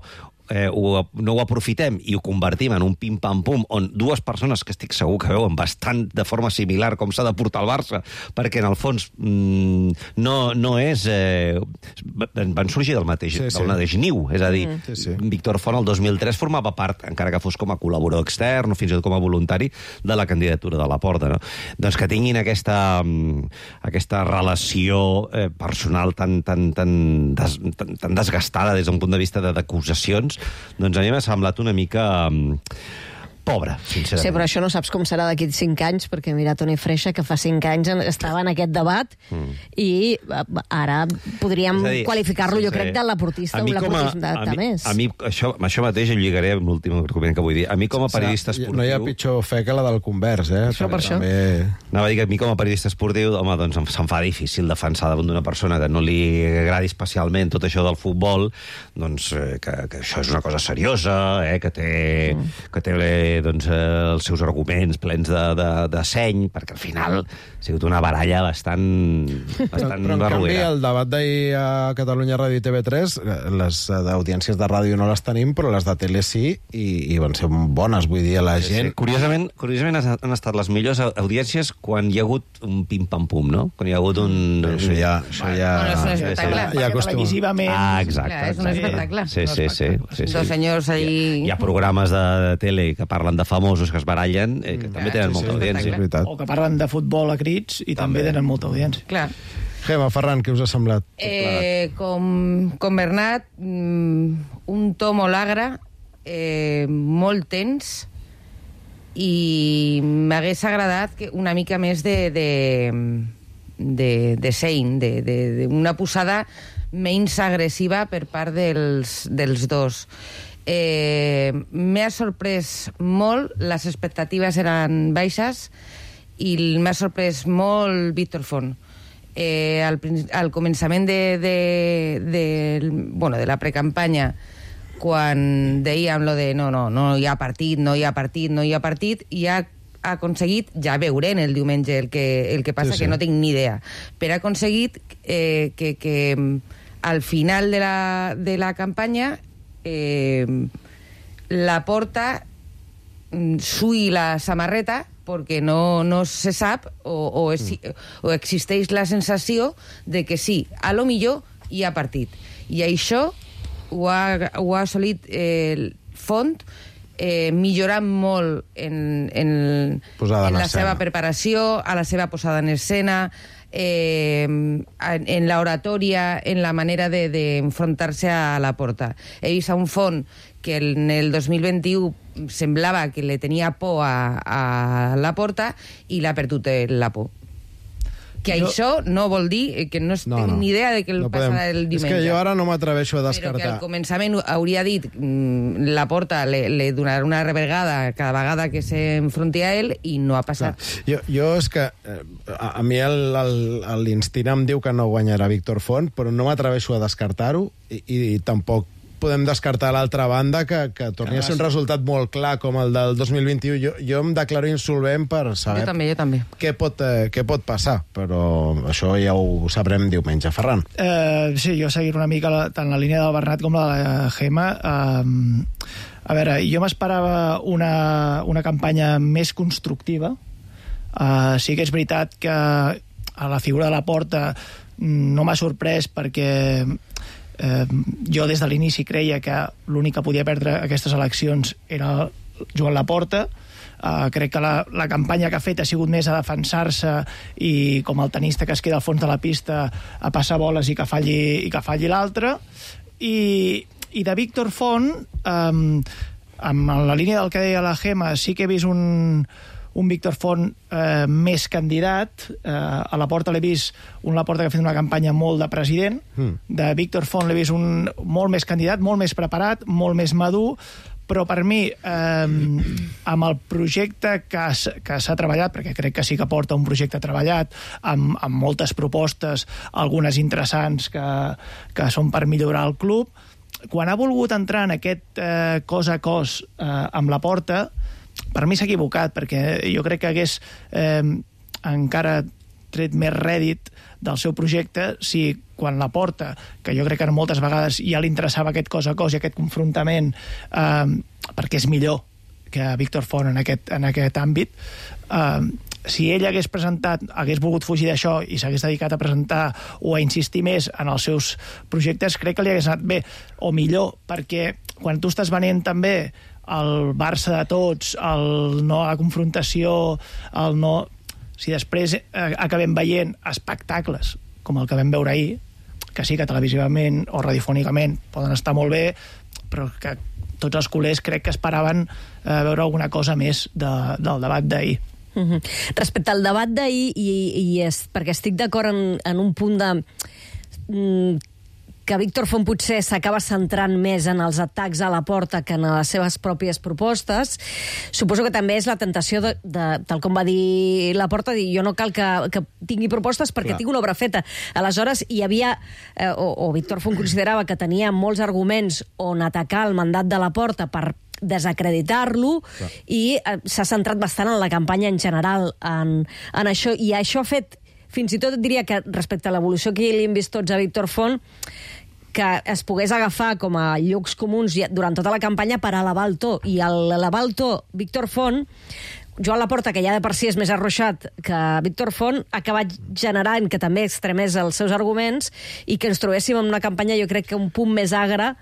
[SPEAKER 4] eh, ho, no ho aprofitem i ho convertim en un pim-pam-pum, on dues persones que estic segur que veuen bastant de forma similar com s'ha de portar el Barça, perquè en el fons mm, no, no és... Eh, van sorgir del mateix,
[SPEAKER 2] Sí, sí.
[SPEAKER 4] del mateix niu, és a dir,
[SPEAKER 2] Mm. Sí, sí.
[SPEAKER 4] Víctor Font el dos mil tres formava part, encara que fos com a col·laborador extern o fins i tot com a voluntari, de la candidatura de Laporta, no? Doncs que tinguin aquesta, mm, aquesta relació eh, personal tan, tan, tan, des, tan, tan desgastada des d'un punt de vista de- d'acusacions, doncs a mi m'ha semblat una mica mm, pobra, sincerament.
[SPEAKER 3] Sí, però això no saps com serà d'aquí cinc anys, perquè mira Toni Freixa, que fa cinc anys en- estava en aquest debat, mm. i eh, ara podríem
[SPEAKER 4] És a dir,
[SPEAKER 3] qualificar-lo, jo
[SPEAKER 4] sí,
[SPEAKER 3] crec, de laportista, un laportista
[SPEAKER 4] a,
[SPEAKER 3] de
[SPEAKER 4] mi,
[SPEAKER 3] més.
[SPEAKER 4] a mi això, amb això mateix ho lligaré amb l'últim argument que vull dir. A mi com a periodista
[SPEAKER 2] Serà-
[SPEAKER 4] esportiu...
[SPEAKER 2] No hi ha pitjor fe que la del convers, eh?
[SPEAKER 3] Això per això.
[SPEAKER 2] També...
[SPEAKER 4] Anava a dir que a mi com a periodista esportiu, home, doncs em- se'm fa difícil defensar davant d'una persona que no li agradi especialment tot això del futbol, doncs eh, que, que això és una cosa seriosa, eh, que té, mm. que té doncs, eh, els seus arguments plens de, de, de seny, perquè al final ha sigut una baralla bastant, bastant
[SPEAKER 2] però, però en canvi,
[SPEAKER 4] barroera.
[SPEAKER 2] el debat d'ahir a Catalunya Ràdio i T V tres, les audiències de ràdio no les tenim, però les de tele sí, i, i van ser bones, vull dir, a la gent...
[SPEAKER 4] Sí, curiosament, curiosament han estat les millors audiències quan hi ha hagut un pim-pam-pum, no? Quan hi ha hagut un...
[SPEAKER 2] Això ja... Això ja...
[SPEAKER 5] Bueno, és un espectacle.
[SPEAKER 2] Ja, ja acostuma.
[SPEAKER 6] Televisivament...
[SPEAKER 4] Ah, exacte.
[SPEAKER 5] Clar, és un espectacle.
[SPEAKER 4] Sí, sí, sí. sí, sí.
[SPEAKER 5] Dos senyors ahí...
[SPEAKER 4] Hi, hi ha programes de, de tele que parlen de famosos que es barallen, eh, que mm, també tenen
[SPEAKER 5] sí,
[SPEAKER 4] molta
[SPEAKER 5] sí,
[SPEAKER 4] audiència.
[SPEAKER 6] O que parlen de futbol a crits i també, també tenen molta audiència.
[SPEAKER 5] Clar.
[SPEAKER 2] Gemma, Ferran, què us ha semblat?
[SPEAKER 5] Eh, com, com Bernat, mm, un to molt agre, eh, molt tens, i m'hagués agradat que una mica més de, de, de, de seny, de, de, de una posada menys agressiva per part dels, dels dos. Eh, m'ha sorprès molt, les expectatives eren baixes, i m'ha sorprès molt Víctor Font. Eh, al, al començament de, de, de, bueno, de la precampanya, quan dèiem lo de no, no, no hi ha partit, no hi ha partit, no hi ha partit, i ha aconseguit, ja veurem el diumenge el que, el que passa, sí, sí. que no tinc ni idea, però ha aconseguit eh, que, que al final de la, de la campanya eh, la Porta sui la samarreta perquè no, no se sap o, o, es, o existeix la sensació de que sí, a lo millor hi ha partit. I això ho ha, ho ha assolit eh, Font, eh, millorant molt en, en, en la seva preparació, a la seva posada en escena, eh, en, en l'oratòria, en la manera d'enfrontar-se de, a la Porta. He vist a un Font que en el dos mil vint-i-u semblava que le tenia por a, a la Porta i l'ha perdut la por. Que jo... això no vol dir que no, no tinc no, ni idea de què no passarà el diumenge.
[SPEAKER 2] És que jo ara no m'atreveixo a descartar.
[SPEAKER 5] Però que al començament hauria dit mm, la Porta li, li donarà una revergada cada vegada que s'enfronti a ell i no ha passat.
[SPEAKER 2] Jo, jo és que eh, a, a mi l'instint em diu que no guanyarà Víctor Font, però no m'atreveixo a descartar-ho i, i, i tampoc podem descartar l'altra banda que, que torni a ser un resultat molt clar com el del dos mil vint-i-u. Jo, jo em declaro insolvent per saber
[SPEAKER 5] jo també, jo també.
[SPEAKER 2] Què, pot, eh, què pot passar, però això ja ho sabrem diumenge. Ferran.
[SPEAKER 6] Eh, sí, jo seguir una mica la, tant la línia del Bernat com la de Gemma. Eh, a veure, jo m'esperava una, una campanya més constructiva. Eh, sí que és veritat que a la figura de la Porta no m'ha sorprès perquè Eh, jo des de l'inici creia que l'únic que podia perdre aquestes eleccions era Joan Laporta. Uh, crec que la, la campanya que ha fet ha sigut més a defensar-se i com el tenista que es queda al fons de la pista a passar boles i que falli, i que falli l'altre. I, i de Víctor Font, um, amb la línia del que deia la Gemma, sí que he vist un, un Víctor Font eh, més candidat. Eh, a la Porta l'he vist un Laporta que ha fet una campanya molt de president. Mm. De Víctor Font l'he vist un molt més candidat, molt més preparat, molt més madur, però per mi, eh, amb el projecte que, que s'ha treballat, perquè crec que sí que porta un projecte treballat, amb, amb moltes propostes, algunes interessants que, que són per millorar el club, quan ha volgut entrar en aquest eh, cos a cos eh, amb la Porta, per mi s'ha equivocat, perquè jo crec que hagués eh, encara tret més rèdit del seu projecte si quan la Porta, que jo crec que moltes vegades ja li interessava aquest cos a cos i aquest confrontament, eh, perquè és millor que Víctor Font en aquest, en aquest àmbit, eh, si ell hagués presentat, hagués volgut fugir d'això i s'hagués dedicat a presentar o a insistir més en els seus projectes, crec que li hagués anat bé, o millor, perquè quan tu estàs venent també el Barça de tots, el no a la confrontació, el no... Si després eh, acabem veient espectacles com el que vam veure ahir, que sí que televisivament o radiofònicament poden estar molt bé, però que tots els culers crec que esperaven eh, veure alguna cosa més de, del debat d'ahir.
[SPEAKER 3] Uh-huh. Respecte al debat d'ahir, i, i és, perquè estic d'acord en, en un punt de... Mm, que Víctor Font potser s'acaba centrant més en els atacs a la Porta que en les seves pròpies propostes. Suposo que també és la tentació de, de tal com va dir la Porta, dir jo no cal que, que tingui propostes perquè Clar. tinc una obra feta. Aleshores, hi havia, eh, o, o Víctor Font considerava que tenia molts arguments on atacar el mandat de la Porta per desacreditar-lo, i eh, s'ha centrat bastant en la campanya en general, en, en això, i això ha fet, fins i tot diria que respecte a l'evolució que li hem vist tots a Víctor Font, que es pogués agafar com a llocs comuns durant tota la campanya per elevar el to, i elevar el to Víctor Font, Joan Laporta, que ja de per si és més arroixat que Víctor Font, ha acabat generant que també extremés els seus arguments i que ens trobéssim en una campanya, jo crec que un punt més agre,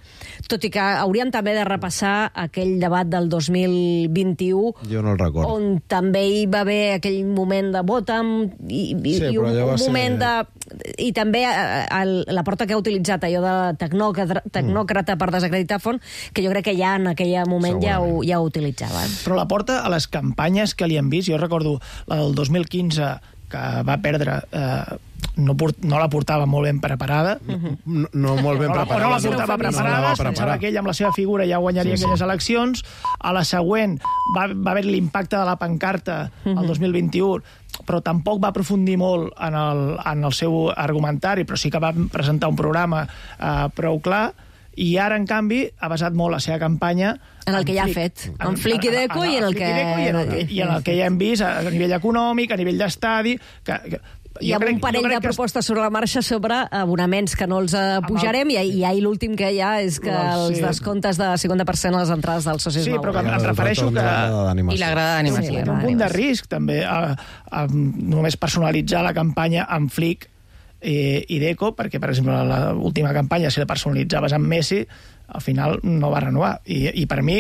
[SPEAKER 3] tot i que hauríem també de repassar aquell debat del dos mil vint-i-u,
[SPEAKER 2] jo no el recordo,
[SPEAKER 3] on també hi va haver aquell moment de vota'm i, i, sí, i un, un moment ser... de... I també el, Laporta, que ha utilitzat allò de tecnòcrata, tecnòcrata mm. per desacreditar Font, que jo crec que ja en aquell moment ja ho, ja ho utilitzava.
[SPEAKER 6] Però Laporta, a les campanyes que li han vist, jo recordo la del dos mil quinze, que va perdre, eh, no, port, no la portava molt ben preparada.
[SPEAKER 2] Uh-huh. No, no molt ben
[SPEAKER 6] no,
[SPEAKER 2] preparada.
[SPEAKER 6] No la portava preparada, no la es pensava que ell amb la seva figura ja guanyaria sí, aquelles sí. eleccions. A la següent va, va haver l'impacte de la pancarta uh-huh. el dos mil vint-i-u, però tampoc va aprofundir molt en el, en el seu argumentari, però sí que va presentar un programa eh, prou clar, i ara, en canvi, ha basat molt la seva campanya
[SPEAKER 3] en el que ja ha fet, en Flic i Deco, i en el que...
[SPEAKER 6] I en el que, i en el que ja hem vist a nivell econòmic, a nivell d'estadi... Que, que,
[SPEAKER 3] hi ha un parell de propostes sobre la marxa sobre abonaments que no els pujarem, i, i ahir l'últim que hi ha és que els descomptes de cinquanta per cent a les entrades dels socis
[SPEAKER 6] nous. Sí, però que em refereixo que...
[SPEAKER 5] I la grada d'animació.
[SPEAKER 6] Un punt de risc, també, a, a només personalitzar la campanya amb Flic i Deco, perquè, per exemple, l'última campanya, si la personalitzaves amb Messi, al final no va renovar. I, i per mi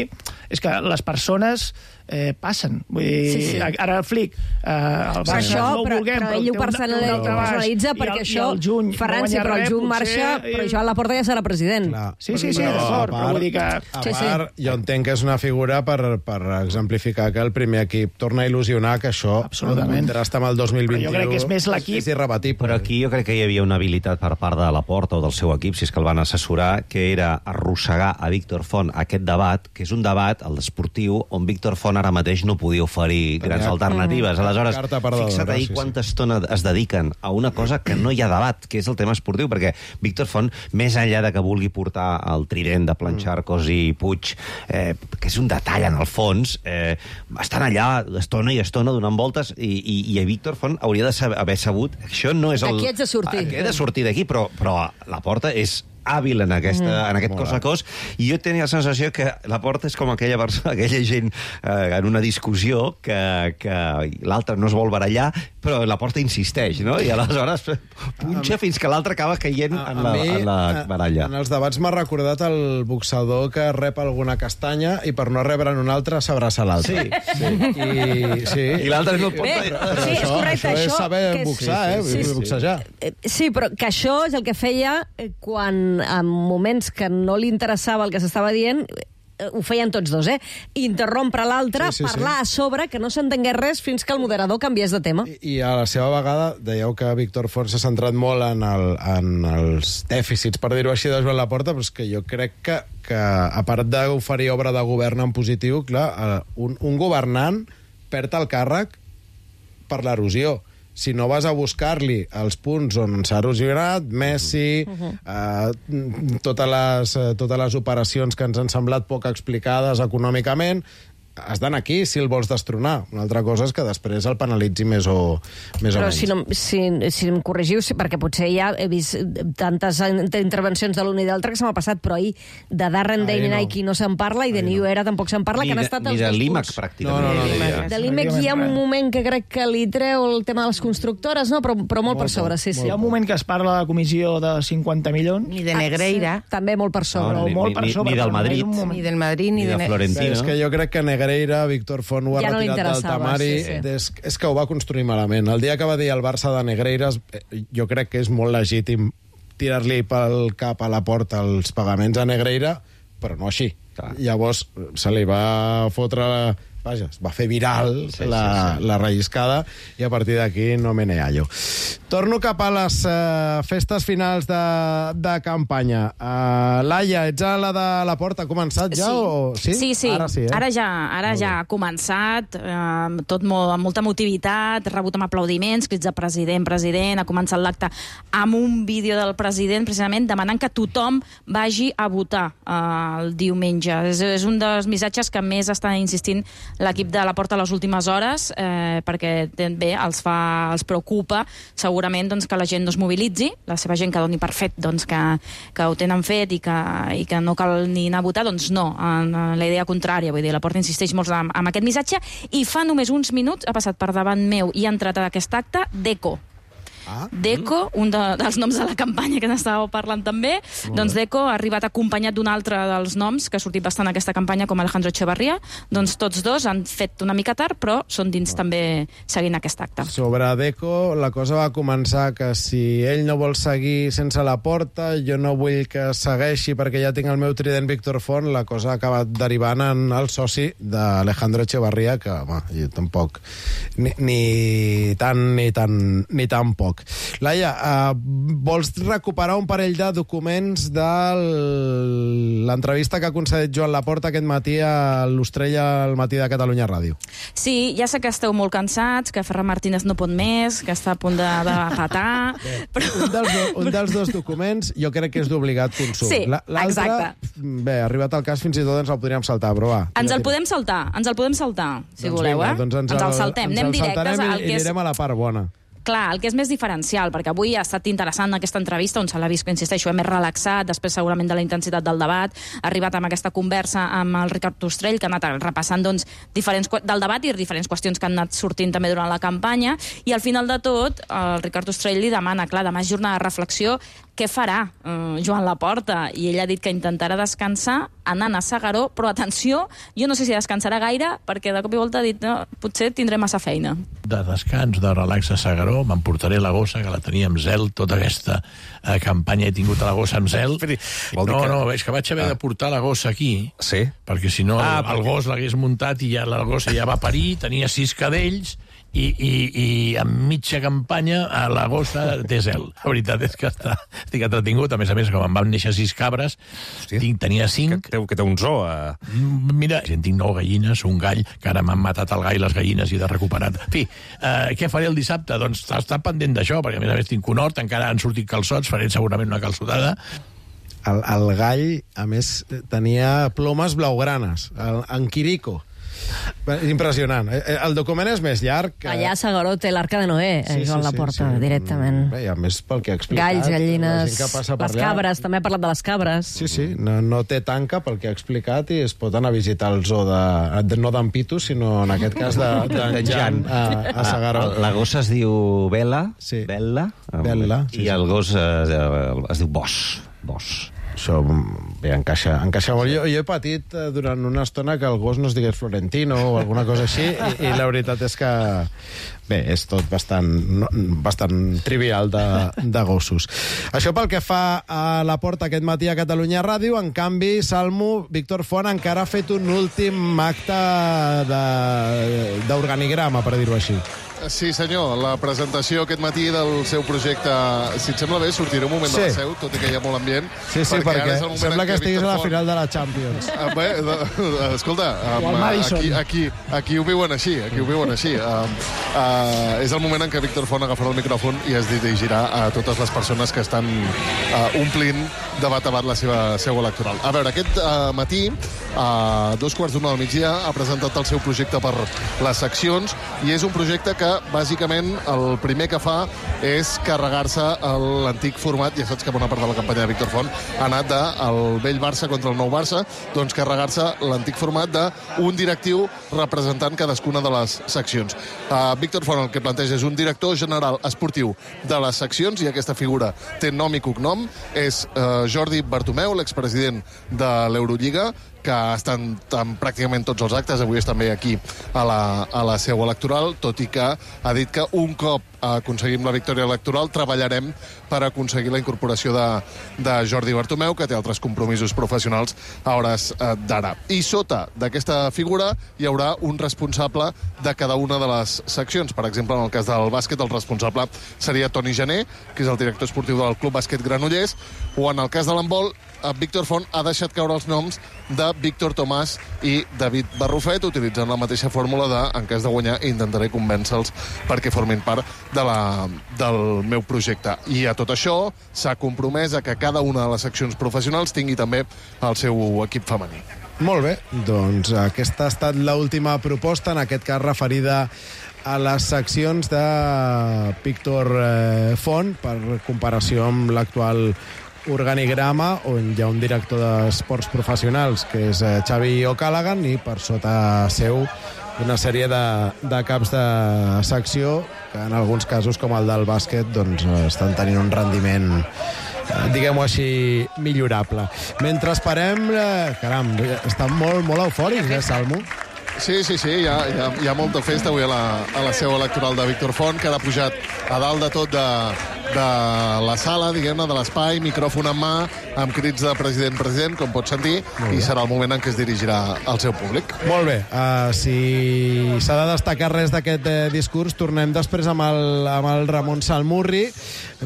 [SPEAKER 6] és que les persones eh, passen. Vull dir, sí, sí. Ara el Flic, eh, el Barça
[SPEAKER 3] això,
[SPEAKER 6] no ho
[SPEAKER 3] però,
[SPEAKER 6] vulguem,
[SPEAKER 3] però ell ho personalitza perquè
[SPEAKER 6] el,
[SPEAKER 3] això,
[SPEAKER 6] juny,
[SPEAKER 3] Ferran,
[SPEAKER 6] no
[SPEAKER 3] sí, però el juny
[SPEAKER 6] potser,
[SPEAKER 3] marxa, però Joan Laporta ja serà president.
[SPEAKER 2] Clar.
[SPEAKER 6] Sí, sí, sí, d'acord, però vull dir que...
[SPEAKER 2] A part, sí, sí. jo entenc que és una figura per, per exemplificar que el primer equip torna a il·lusionar, que això contrasta amb el dos mil vint-i-u.
[SPEAKER 6] Però jo crec que és més l'equip...
[SPEAKER 2] És irrebatible.
[SPEAKER 4] Però aquí jo crec que hi havia una habilitat per part de Laporta o del seu equip, si és que el van assessorar, que era arrossegar a Víctor Font aquest debat, que és un debat, el esportiu, on Víctor Font ara mateix no podia oferir grans Tenia alternatives. Aleshores, fixa't ahir quanta estona es dediquen a una cosa que no hi ha debat, que és el tema esportiu, perquè Víctor Font, més enllà de que vulgui portar el trident de Plancharcos i Puig, eh, que és un detall en el fons, eh, estan allà estona i estona donant voltes, i, i, i a Víctor Font hauria de saber, haver sabut, això no és el...
[SPEAKER 3] Aquí ets de sortir.
[SPEAKER 4] Aquí he de sortir d'aquí, però, però Laporta és hàbil en, aquesta, mm. en aquest cos a cos, i jo tenia la sensació que Laporta és com aquella persona, aquella gent eh, en una discussió que, que l'altre no es vol barallar, però Laporta insisteix, no? I aleshores punxa fins que l'altre acaba caient en la, mi, en la baralla.
[SPEAKER 2] En els debats m'ha recordat el boxador que rep alguna castanya i per no rebre'n una altra s'abraça l'altre.
[SPEAKER 4] Sí. sí.
[SPEAKER 2] I, sí.
[SPEAKER 4] I l'altre no pot...
[SPEAKER 3] Bé, però sí, és correcte,
[SPEAKER 2] això,
[SPEAKER 3] això
[SPEAKER 2] és saber
[SPEAKER 3] és...
[SPEAKER 2] boxar,
[SPEAKER 3] sí,
[SPEAKER 2] sí, sí, eh? Sí, boxejar.
[SPEAKER 3] Sí. sí, però que això és el que feia quan en moments que no li interessava el que s'estava dient, ho feien tots dos, eh? Interrompre l'altre, sí, sí, parlar sí. a sobre, que no s'entengués res fins que el moderador canviés de tema.
[SPEAKER 2] I, I a la seva vegada, dèieu que Víctor Font s'ha centrat molt en, el, en els dèficits, per dir-ho així, de Joan Laporta, però és que jo crec que, que a part d'oferir obra de govern en positiu, clar, un, un governant perd el càrrec per l'erosió. Si no vas a buscar-li els punts on s'ha erosionat, Messi, uh-huh. eh, totes, les, totes les operacions que ens han semblat poc explicades econòmicament, has d'anar aquí si el vols destronar. Una altra cosa és que després el penalitzi més o, més
[SPEAKER 3] Però
[SPEAKER 2] o menys.
[SPEAKER 3] Si, no, si, si em corregiu, perquè potser ja he vist tantes intervencions de l'un i d'altre que se m'ha passat, però ahir de Darren Day
[SPEAKER 2] no.
[SPEAKER 3] Nike no se'n parla i de New Era tampoc se'n parla,
[SPEAKER 4] ni
[SPEAKER 3] que han
[SPEAKER 4] de,
[SPEAKER 3] estat
[SPEAKER 4] els
[SPEAKER 3] els
[SPEAKER 4] dos
[SPEAKER 3] dos
[SPEAKER 4] l'I M A C,
[SPEAKER 3] punts.
[SPEAKER 4] pràcticament.
[SPEAKER 2] No, no, no, no,
[SPEAKER 3] De l'I M A C hi ha un moment que crec que li treu el tema de les constructores, no? però, però molt, molt per sobre, sí, sí.
[SPEAKER 6] Hi ha un moment que es parla de la comissió de cinquanta milions.
[SPEAKER 5] Ni de Negreira.
[SPEAKER 3] Ah, sí. També molt per sobre.
[SPEAKER 4] No, ni,
[SPEAKER 6] molt per
[SPEAKER 4] ni,
[SPEAKER 6] sobre
[SPEAKER 4] ni del Madrid.
[SPEAKER 5] Ni del Madrid, ni,
[SPEAKER 4] ni de, de Florentino.
[SPEAKER 2] És que jo crec que Negreira, Víctor Font ho ha
[SPEAKER 3] ja no
[SPEAKER 2] retirat del temari.
[SPEAKER 3] Sí, sí.
[SPEAKER 2] És, és que ho va construir malament. El dia que va dir el Barça de Negreiras, jo crec que és molt legítim tirar-li pel cap a la porta els pagaments a Negreira, però no així. Clar. Llavors se li va fotre vaja, es va fer viral
[SPEAKER 4] sí,
[SPEAKER 2] la,
[SPEAKER 4] sí, sí.
[SPEAKER 2] la relliscada, i a partir d'aquí no me ne hallo. Torno cap a les uh, festes finals de, de campanya. Uh, Laia, ets a la de la porta, ha començat ja?
[SPEAKER 9] Sí.
[SPEAKER 2] O... Sí?
[SPEAKER 9] Sí, sí.
[SPEAKER 2] Ara sí, eh?
[SPEAKER 9] Ara ja, ara ja ha començat, eh, tot molt, amb molta motivitat, rebut amb aplaudiments, crits de president, president, ha començat l'acte amb un vídeo del president, precisament demanant que tothom vagi a votar eh, el diumenge. És, és un dels missatges que més està insistint l'equip de la Porta a les últimes hores, eh, perquè bé, els, fa, els preocupa segurament doncs, que la gent no es mobilitzi, la seva gent que doni per fet doncs, que, que ho tenen fet i que, i que no cal ni anar a votar, doncs no, en la idea contrària. Vull dir, la Porta insisteix molt amb, amb aquest missatge, i fa només uns minuts ha passat per davant meu i ha entrat a aquest acte Deco.
[SPEAKER 2] Ah,
[SPEAKER 9] Deco, un de, dels noms de la campanya que n'estàveu parlant també, doncs Deco ha arribat acompanyat d'un altre dels noms que ha sortit bastant en aquesta campanya, com Alejandro Echevarría. Doncs tots dos han fet una mica tard, però són dins també seguint aquest acte.
[SPEAKER 2] Sobre Deco, la cosa va començar que si ell no vol seguir sense la Porta, jo no vull que segueixi perquè ja tinc el meu trident Víctor Font, la cosa ha acabat derivant en el soci d'Alejandro Echevarría, que home, jo tampoc ni, ni tant ni tan, ni tan poc. Laia, uh, vols recuperar un parell de documents de l'entrevista que ha concedit Joan Laporta aquest matí a l'Ostrella al matí de Catalunya Ràdio?
[SPEAKER 9] Sí, ja sé que esteu molt cansats, que Ferran Martínez no pot més, que està a punt de, de patar...
[SPEAKER 2] Bé, però... un, dels do, un dels dos documents jo crec que és d'obligat consum.
[SPEAKER 9] Sí, exacte.
[SPEAKER 2] Bé, arribat al cas, fins i tot ens el podríem saltar, però va.
[SPEAKER 9] Ens el podem saltar, ens el podem saltar, si
[SPEAKER 2] doncs
[SPEAKER 9] voleu,
[SPEAKER 2] vinga,
[SPEAKER 9] eh?
[SPEAKER 2] Doncs ens,
[SPEAKER 9] ens
[SPEAKER 2] el,
[SPEAKER 9] el saltem,
[SPEAKER 2] ens
[SPEAKER 9] anem
[SPEAKER 2] el
[SPEAKER 9] directes
[SPEAKER 2] i,
[SPEAKER 9] al que
[SPEAKER 2] i
[SPEAKER 9] és...
[SPEAKER 2] anirem a la part bona.
[SPEAKER 9] Clar, el que és més diferencial, perquè avui ha estat interessant aquesta entrevista, on se l'ha vist, que insisteixo, més relaxat, després segurament de la intensitat del debat, ha arribat amb aquesta conversa amb el Ricard Ostrell, que ha anat repassant doncs, diferents, del debat i diferents qüestions que han anat sortint també durant la campanya, i al final de tot, el Ricard Ostrell li demana, clar, demà és jornada de reflexió, què farà eh, Joan Laporta? I ell ha dit que intentarà descansar anant a S'Agaró, però atenció, jo no sé si descansarà gaire, perquè de cop i volta ha dit, no, potser tindré massa feina.
[SPEAKER 11] De descans, de relax a S'Agaró, m'emportaré la gossa, que la tenia amb zel, tota aquesta eh, campanya he tingut a la gossa amb zel. No, que... no, és que vaig haver ah. de portar la gossa aquí,
[SPEAKER 4] sí?
[SPEAKER 11] perquè si no
[SPEAKER 4] ah,
[SPEAKER 11] el,
[SPEAKER 4] perquè...
[SPEAKER 11] el gos l'hagués muntat i ja la gossa ja va parir, tenia sis cadells, i, i, i en mitja campanya a la gossa té zel. La veritat és que està, estic entretingut, a més a més, com em van néixer sis cabres, tinc, tenia cinc...
[SPEAKER 4] Que, que té un zoo. A...
[SPEAKER 11] Mira, tinc nou gallines, un gall, que ara m'han matat el gall, les gallines, i de recuperat. En fi, eh, què faré el dissabte? Doncs està pendent d'això, perquè a més a més tinc un hort, encara han sortit calçots, faré segurament una calçotada.
[SPEAKER 2] El, el gall, a més, tenia plomes blaugranes, el, en Quirico. Impressionant. El document és més llarg. Que...
[SPEAKER 3] Allà a S'Agaró té l'Arca de Noé, sí, Joan sí, Laporta, sí, sí. directament.
[SPEAKER 2] Bé, i a més, pel que ha explicat...
[SPEAKER 3] Galls, gallines,
[SPEAKER 2] les
[SPEAKER 3] allà... cabres, també ha parlat de les cabres.
[SPEAKER 2] Sí, sí, no, no té tanca pel que ha explicat i es pot anar a visitar el zoo de, de no d'en Pitu, sinó en aquest cas de, de, de Jan a, a S'Agaró.
[SPEAKER 4] La gossa es diu Bela,
[SPEAKER 2] sí.
[SPEAKER 4] Bella,
[SPEAKER 2] Bella
[SPEAKER 4] i sí, el gos es, es diu Bosch. Bosch.
[SPEAKER 2] Això, bé, encaixa, encaixa molt. Jo, jo he patit eh, durant una estona que el gos no es digués Florentino o alguna cosa així, i, i la veritat és que, bé, és tot bastant, no, bastant trivial de, de gossos. Això pel que fa a la Porta aquest matí a Catalunya Ràdio. En canvi, Salmo, Víctor Font encara ha fet un últim acte d'organigrama, per dir-ho així.
[SPEAKER 10] Sí, senyor, la presentació aquest matí del seu projecte, si et sembla bé, sortiré un moment sí. de la seu, tot i que hi ha molt ambient.
[SPEAKER 2] Sí, sí, perquè, perquè sembla que estiguis a la final de la Champions.
[SPEAKER 10] Uh, bé, uh, escolta, um, aquí, aquí, aquí ho viuen així, aquí ho viuen així. Uh, uh, és el moment en què Víctor Font agafarà el micròfon i es dirigirà a totes les persones que estan uh, omplint de bat a bat la seva seu electoral. A veure, aquest uh, matí, a dos quarts d'una del migdia, ha presentat el seu projecte per les seccions, i és un projecte que bàsicament el primer que fa és carregar-se l'antic format. Ja saps que bona part de la campanya de Víctor Font ha anat del vell Barça contra el nou Barça, doncs carregar-se l'antic format d'un directiu representant cadascuna de les seccions. Uh, Víctor Font el que planteja és un director general esportiu de les seccions, i aquesta figura té nom i cognom, és uh, Jordi Bartomeu, l'expresident de l'Eurolliga, que estan en pràcticament tots els actes. Avui és també aquí a la, a la seu electoral, tot i que ha dit que un cop aconseguim la victòria electoral, treballarem per aconseguir la incorporació de, de Jordi Bartomeu, que té altres compromisos professionals a hores eh, d'ara. I sota d'aquesta figura hi haurà un responsable de cada una de les seccions. Per exemple, en el cas del bàsquet, el responsable seria Toni Gené, que és el director esportiu del Club Bàsquet Granollers, o en el cas de l'handbol, Víctor Font ha deixat caure els noms de Víctor Tomàs i David Barrufet, utilitzant la mateixa fórmula de, en cas de guanyar, intentaré convèncer-los perquè formin part de la, del meu projecte. I a tot això s'ha compromès a que cada una de les seccions professionals tingui també el seu equip femení.
[SPEAKER 2] Molt bé, doncs aquesta ha estat l'última proposta, en aquest cas referida a les seccions de Víctor Font, per comparació amb l'actual organigrama, on hi ha un director d'esports professionals, que és Xavi O'Callaghan, i per sota seu una sèrie de, de caps de secció que en alguns casos, com el del bàsquet, doncs, estan tenint un rendiment, diguem-ho així, millorable. Mentre esperem, caram, estan molt, molt eufòrics, eh, Salmo?
[SPEAKER 10] Sí, sí, sí, hi ha, hi ha, hi ha molta festa avui a la, a la seu electoral de Víctor Font, que ara ha pujat a dalt de tot de, de la sala, diguem-ne, de l'espai, micròfon en mà, amb crits de president, president, com pots sentir, i serà el moment en què es dirigirà al seu públic.
[SPEAKER 2] Molt bé, uh, si s'ha de destacar res d'aquest eh, discurs, tornem després amb el, amb el Ramon Salmurri.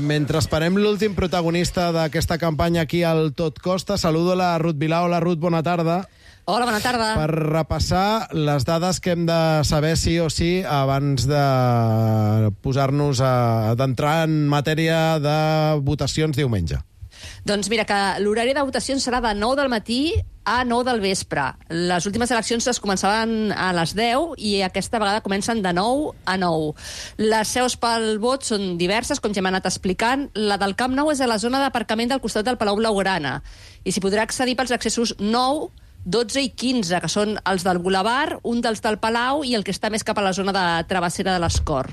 [SPEAKER 2] Mentre esperem l'últim protagonista d'aquesta campanya aquí al Tot Costa, saludo la Ruth Vilà. Hola, Ruth, bona tarda.
[SPEAKER 3] Hola, bona tarda.
[SPEAKER 2] Per repassar les dades que hem de saber sí o sí abans de posar-nos a d'entrar en matèria de votacions diumenge.
[SPEAKER 14] Doncs mira, que l'horari de votacions serà de nou del matí a nou del vespre. Les últimes eleccions es començaven a les deu i aquesta vegada comencen de nou a nou. Les seus pel vot són diverses, com ja hem anat explicant. La del Camp Nou és a la zona d'aparcament del costat del Palau Blaugrana i s'hi podrà accedir pels accessos nou, dotze i quinze, que són els del Boulevard, un dels del Palau i el que està més cap a la zona de Travessera de l'Escor.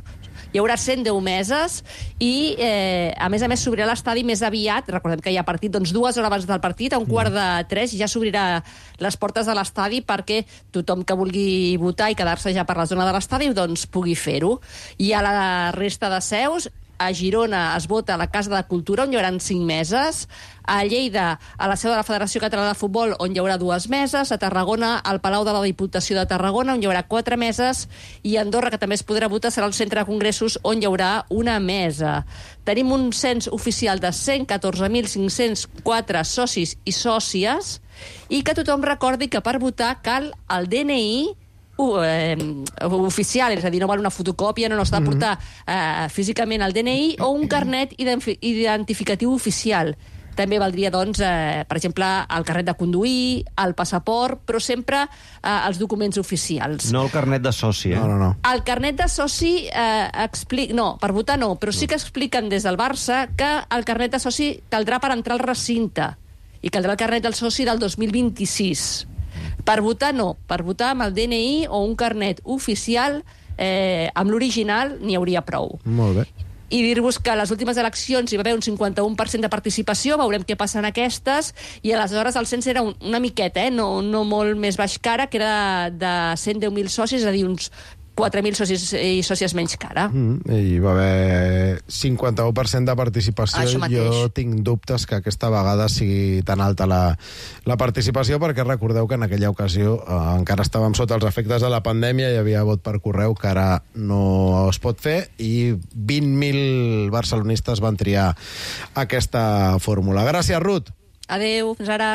[SPEAKER 14] Hi haurà cent deu meses i, eh, a més a més, s'obrirà l'estadi més aviat. Recordem que hi ha partit, doncs, dues hores abans del partit, a un quart de tres, ja s'obrirà les portes de l'estadi perquè tothom que vulgui votar i quedar-se ja per la zona de l'estadi, doncs, pugui fer-ho. I a la resta de seus, a Girona es vota a la Casa de Cultura, on hi haurà cinc meses, a Lleida, a la seu de la Federació Catalana de Futbol, on hi haurà dues meses, a Tarragona, al Palau de la Diputació de Tarragona, on hi haurà quatre meses, i a Andorra, que també es podrà votar, serà el Centre de Congressos, on hi haurà una mesa. Tenim un cens oficial de cent catorze mil cinc-cents quatre socis i sòcies, i que tothom recordi que per votar cal el D N I Uh, eh, oficial, és a dir, no val una fotocòpia, no, no s'ha de portar eh, físicament el D N I o un carnet identificatiu oficial. També valdria, doncs, eh, per exemple, el carnet de conduir, el passaport, però sempre eh, els documents oficials.
[SPEAKER 4] No el carnet de soci, eh?
[SPEAKER 2] No, no, no.
[SPEAKER 14] El carnet de soci eh, explica... No, per votar no, però sí que expliquen des del Barça que el carnet de soci caldrà per entrar al recinte i caldrà el carnet del soci del dos mil vint-i-sis. Per votar no, per votar amb el D N I o un carnet oficial eh, amb l'original n'hi hauria prou.
[SPEAKER 2] Molt bé.
[SPEAKER 14] I dir-vos que a les últimes eleccions hi va haver un cinquanta-un per cent de participació, veurem què passa en aquestes, i aleshores el cens era un, una miqueta, eh? no, no molt més baix que ara, que era de cent deu mil socis, és a dir, uns quatre mil socis i sòcies menys que ara.
[SPEAKER 2] Mm, hi va haver cinquanta-u per cent de participació.
[SPEAKER 14] Això mateix.
[SPEAKER 2] Jo tinc dubtes que aquesta vegada sigui tan alta la, la participació, perquè recordeu que en aquella ocasió eh, encara estàvem sota els efectes de la pandèmia, hi havia vot per correu que ara no es pot fer, i vint mil barcelonistes van triar aquesta fórmula. Gràcies, Ruth.
[SPEAKER 14] Adéu, fins ara.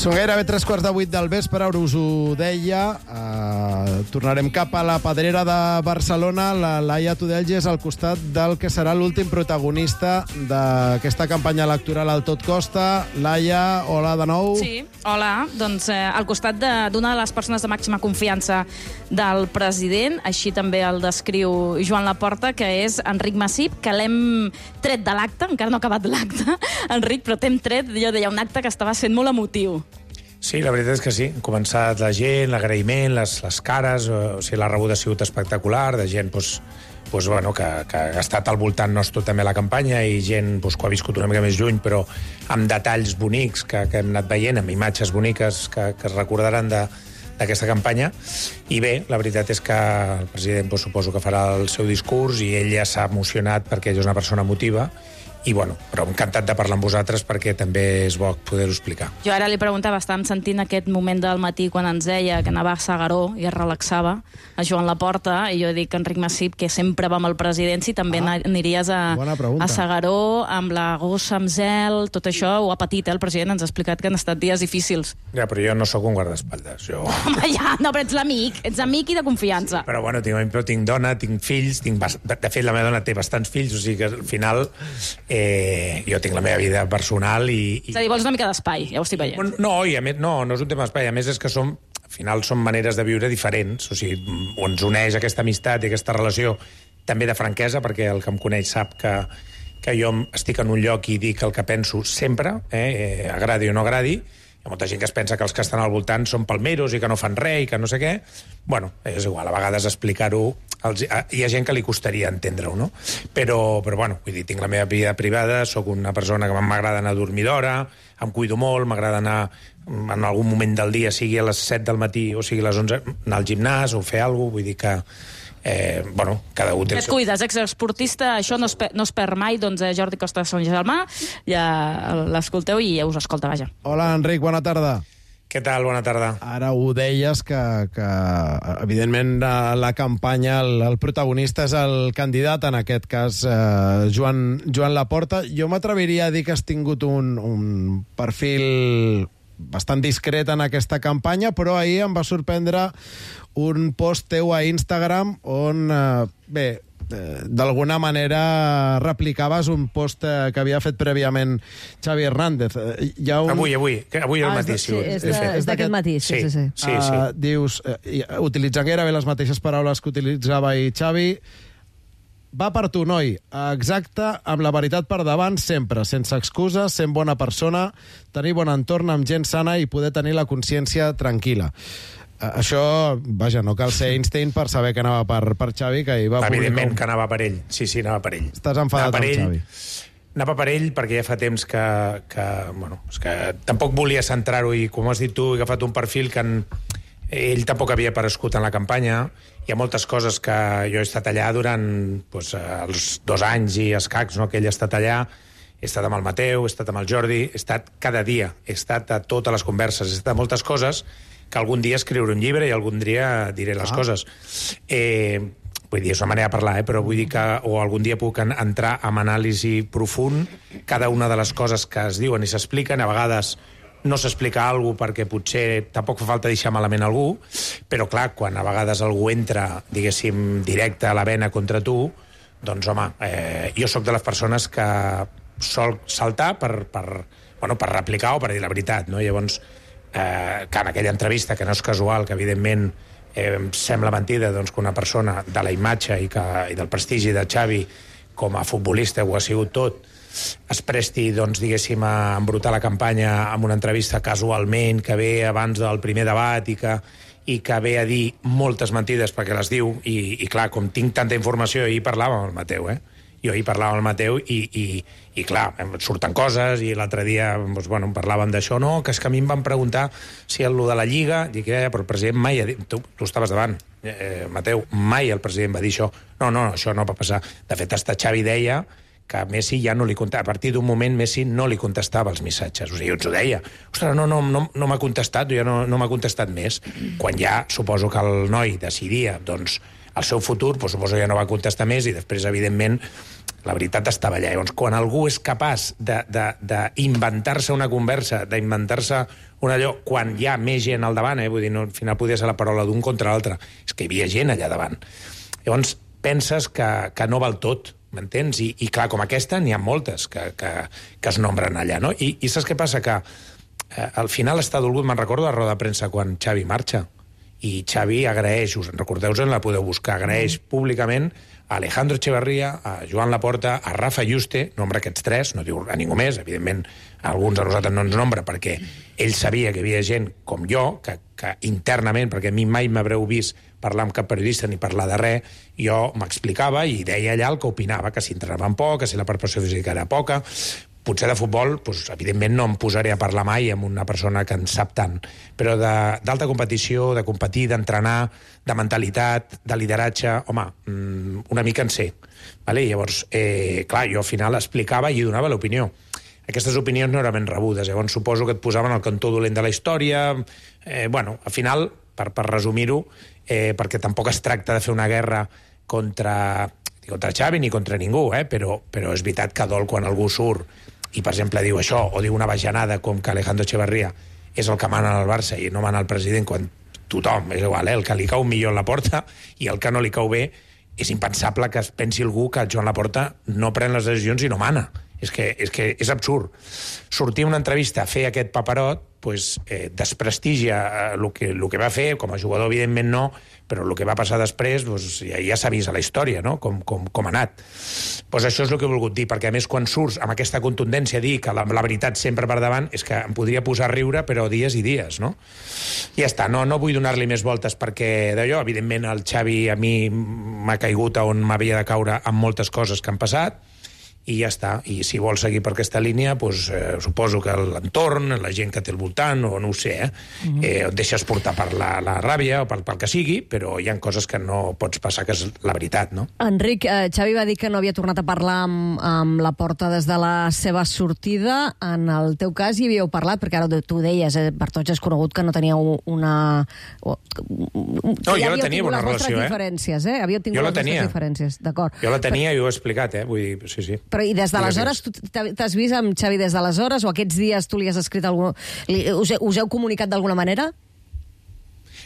[SPEAKER 2] Són gairebé tres quarts de vuit del vespre, ara us ho deia. Uh, tornarem cap a la Pedrera de Barcelona. La Laia Tudelges al costat del que serà l'últim protagonista d'aquesta campanya electoral al Tot Costa. Laia, hola de nou.
[SPEAKER 9] Sí, hola. Doncs eh, al costat d'una de, de les persones de màxima confiança del president, així també el descriu Joan Laporta, que és Enric Massip, que l'hem tret de l'acte, encara no ha acabat l'acte, Enric, però t'hem tret, jo deia, un acte que estava sent molt emotiu.
[SPEAKER 15] Sí, la veritat és que sí. Ha començat la gent, l'agraïment, les, les cares, o sigui, la rebuda ha sigut espectacular, de gent doncs, doncs, bueno, que, que ha estat al voltant nostre també la campanya i gent doncs, que ha viscut una mica més lluny, però amb detalls bonics que, que hem anat veient, amb imatges boniques que, que es recordaran de, d'aquesta campanya. I bé, la veritat és que el president doncs, suposo que farà el seu discurs i ell ja s'ha emocionat perquè ell és una persona emotiva. I, bueno, però encantat de parlar amb vosaltres perquè també és bo poder-ho explicar.
[SPEAKER 9] Jo ara li preguntava, estàvem sentint aquest moment del matí quan ens deia que anava a S'Agaró i es relaxava a Joan Laporta, i jo dic que Enric Massip, que sempre va amb el president, si també ah, aniries a, a S'Agaró amb la gossa, amb zel, tot això ho ha patit, eh? El president ens ha explicat que han estat dies difícils.
[SPEAKER 15] Ja, però jo no sóc un guardaespatlles. Jo...
[SPEAKER 9] Home, ja, no, però ets l'amic, ets amic i de confiança.
[SPEAKER 15] Però bueno, tinc, però tinc dona, tinc fills, tinc bast... de fet la meva dona té bastants fills, o sigui que al final eh, jo tinc la meva vida personal i... i...
[SPEAKER 9] És a dir, vols una mica d'espai, ja ho estic veient.
[SPEAKER 15] No, i a més, no, no és un tema d'espai, a més és que som, al final són maneres de viure diferents, o sigui, ens uneix aquesta amistat i aquesta relació també de franquesa, perquè el que em coneix sap que, que jo estic en un lloc i dic el que penso sempre, eh, eh, agradi o no agradi. Hi ha molta gent que es pensa que els que estan al voltant són palmeros i que no fan res i que no sé què. Bueno, és igual, a vegades explicar-ho... Els, hi ha gent que li costaria entendre-ho, no? Però, però bueno, vull dir, tinc la meva vida privada, sóc una persona que m'agrada anar a dormir d'hora, em cuido molt, m'agrada anar en algun moment del dia, sigui a les set del matí o sigui a les onze, anar al gimnàs o fer alguna cosa, vull dir que... Eh, bueno, cada un té...
[SPEAKER 9] Et cuides, exesportista, això no es, per, no es perd mai, doncs eh, Jordi Costa de Sant Germà, ja l'escolteu i ja us escolta, vaja.
[SPEAKER 2] Hola, Enric, bona tarda.
[SPEAKER 15] Què tal? Bona tarda.
[SPEAKER 2] Ara ho deies que, que evidentment, la, la campanya, el, el protagonista és el candidat, en aquest cas, eh, Joan, Joan Laporta. Jo m'atreviria a dir que has tingut un, un perfil bastant discret en aquesta campanya, però ahir em va sorprendre un post teu a Instagram on, eh, bé, eh, d'alguna manera replicaves un post eh, que havia fet prèviament Xavi Hernández. Eh, hi ha un...
[SPEAKER 15] Avui, avui, avui al matí.
[SPEAKER 3] Sí, és, de, és d'aquest matí, sí, sí. sí.
[SPEAKER 15] sí, sí.
[SPEAKER 2] Uh, dius, eh, utilitzant gairebé les mateixes paraules que utilitzava ahir Xavi, va per tu, noi, exacte, amb la veritat per davant, sempre, sense excuses, sent bona persona, tenir bon entorn amb gent sana i poder tenir la consciència tranquil·la. Uh, això, vaja, no cal ser Einstein per saber que anava per, per Xavi, que hi va publicar...
[SPEAKER 15] Evidentment que anava per ell, sí, sí, anava per ell.
[SPEAKER 2] Estàs enfadat amb
[SPEAKER 15] ell,
[SPEAKER 2] Xavi.
[SPEAKER 15] Anava per ell perquè ja fa temps que... que bueno, és que tampoc volia centrar-ho i, com has dit tu, he agafat un perfil que en, ell tampoc havia aparegut en la campanya. Hi ha moltes coses que jo he estat allà durant doncs, els dos anys i escacs, no?, que ell ha estat allà. He estat amb el Mateu, he estat amb el Jordi, he estat cada dia, he estat a totes les converses, he estat a moltes coses que algun dia escriuré un llibre i algun dia diré les ah. coses. Eh, vull dir, és una manera de parlar, eh? Però vull dir que o algun dia puc entrar en anàlisi profund cada una de les coses que es diuen i s'expliquen. A vegades no s'explica alguna cosa perquè potser tampoc fa falta deixar malament algú, però clar, quan a vegades algú entra, diguéssim, directe a la vena contra tu, doncs home, eh, jo sóc de les persones que sol saltar per, per, bueno, per replicar o per dir la veritat, no? Llavors, eh, que en aquella entrevista, que no és casual, que evidentment eh, em sembla mentida doncs, que una persona de la imatge i, que, i del prestigi de Xavi com a futbolista ho ha sigut tot, es presti, doncs, diguéssim, a embrutar la campanya amb una entrevista casualment, que ve abans del primer debat i que, i que ve a dir moltes mentides perquè les diu, i, i clar, com tinc tanta informació, ahir parlava amb el Mateu, eh? Jo ahir parlava amb el Mateu i, i, i clar, surten coses, i l'altre dia doncs, bueno, parlàvem d'això, no, que és que a mi em van preguntar si el de la Lliga, dic, eh, però el president mai ha dit, tu, tu estaves davant, eh, Mateu, mai el president va dir això, no, no, això no va passar. De fet, hasta Xavi deia que Messi ja no li contestava. A partir d'un moment Messi no li contestava els missatges. O sigui, jo ens ho deia. Ostres, no, no, no, no m'ha contestat, ja no, no m'ha contestat més. Quan ja suposo que el noi decidia, doncs, el seu futur, doncs, suposo ja no va contestar més i després, evidentment, la veritat estava allà. Llavors, quan algú és capaç d'inventar-se una conversa, d'inventar-se un allò, quan hi ha més gent al davant, eh? Vull dir, no, al final podia ser la paraula d'un contra l'altre, és que hi havia gent allà davant. Llavors, penses que, que no val tot, m'entens? I, I clar, com aquesta, n'hi ha moltes que, que, que es nombren allà, no? I, i saps què passa? Que eh, al final està dolgut, me'n recordo la roda de premsa quan Xavi marxa, i Xavi agraeix, us en recordeu-en, la podeu buscar, agraeix públicament a Alejandro Echeverría, a Joan Laporta, a Rafa Yuste, nombra aquests tres, no diu a ningú més, evidentment alguns de nosaltres no ens nombra, perquè ell sabia que hi havia gent com jo, que, que internament, perquè a mi mai m'haureu vist parlar amb cap periodista ni parlar de res, jo m'explicava i deia allà el que opinava, que si entrenaven poc, que si la preparació física era poca. Potser de futbol, doncs, evidentment no em posaré a parlar mai amb una persona que en sap tant, però d'alta competició, de competir, d'entrenar, de mentalitat, de lideratge, home, una mica en sé. Vale? Llavors, eh, clar, jo al final explicava i donava l'opinió. Aquestes opinions no eren ben rebudes, llavors suposo que et posaven al cantó dolent de la història. Eh, bueno, al final, per, per resumir-ho, eh, perquè tampoc es tracta de fer una guerra contra, ni contra Xavi ni contra ningú, eh, però, però és veritat que dol quan algú surt i, per exemple, diu això, o diu una bajanada com que Alejandro Echeverría és el que mana al Barça i no mana el president, quan tothom, és igual, eh, el que li cau millor en la porta i el que no li cau bé, és impensable que es pensi algú que Joan Laporta no pren les decisions i no mana. És que és, que és absurd. Sortir una entrevista a fer aquest paperot pues, eh, desprestigia el que, el que va fer, com a jugador evidentment no, però el que va passar després pues, ja, ja s'ha vist a la història, no? com, com, com ha anat. Pues això és el que he volgut dir, perquè a més quan surts amb aquesta contundència a dir que la, la veritat sempre per davant, és que em podria posar a riure, però dies i dies, no? I ja està, no, no vull donar-li més voltes perquè d'allò, evidentment el Xavi a mi m'ha caigut on m'havia de caure amb moltes coses que han passat, i ja està. I si vol seguir per aquesta línia, doncs, eh, suposo que l'entorn, la gent que té al voltant, o no ho sé, eh, mm-hmm. eh, et deixes portar per la, la ràbia o pel, pel que sigui, però hi ha coses que no pots passar, que és la veritat, no?
[SPEAKER 3] Enric, eh, Xavi va dir que no havia tornat a parlar amb, amb Laporta des de la seva sortida. En el teu cas hi havíeu parlat, perquè ara tu deies, eh, per tots és conegut que no teníeu una... O,
[SPEAKER 15] no, jo la tenia una relació, eh?
[SPEAKER 3] Diferències, eh? Havíeu tingut
[SPEAKER 15] jo la
[SPEAKER 3] les
[SPEAKER 15] tenia.
[SPEAKER 3] diferències, d'acord.
[SPEAKER 15] Jo la tenia i ho he explicat, eh? Vull dir, sí, sí.
[SPEAKER 3] Però i des d'aleshores, tu t'has vist amb Xavi des d'aleshores, o aquests dies tu li has escrit algú... Us, us heu comunicat d'alguna manera?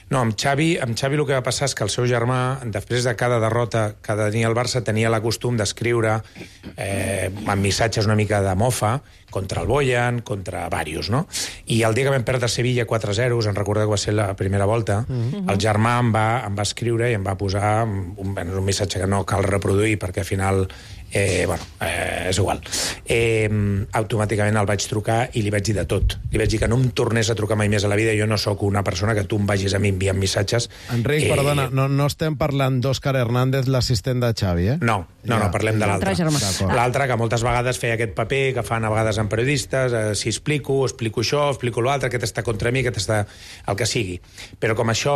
[SPEAKER 15] No, amb Xavi, amb Xavi el que va passar és que el seu germà, després de cada derrota que tenia el Barça, tenia la costum d'escriure eh, amb missatges una mica de mofa contra el Boyan, contra varios, no? I el dia que vam perdre Sevilla quatre a zero, us en recordeu que va ser la primera volta, mm-hmm. el germà em va, em va escriure i em va posar un, un missatge que no cal reproduir perquè al final Eh, bueno, eh, és igual. Eh, automàticament el vaig trucar i li vaig dir de tot. Li vaig dir que no em tornés a trucar mai més a la vida. Jo no sóc una persona que tu em vagis a mi enviant missatges.
[SPEAKER 2] Enric, eh... perdona, no, no estem parlant d'Òscar Hernández, l'assistent de Xavi, eh?
[SPEAKER 15] No, no, ja, no parlem de l'altre. L'altre, que moltes vegades feia aquest paper que fan a vegades amb periodistes, eh, si explico, explico això, explico l'altre, aquest està contra mi, aquest està... el que sigui. Però com això...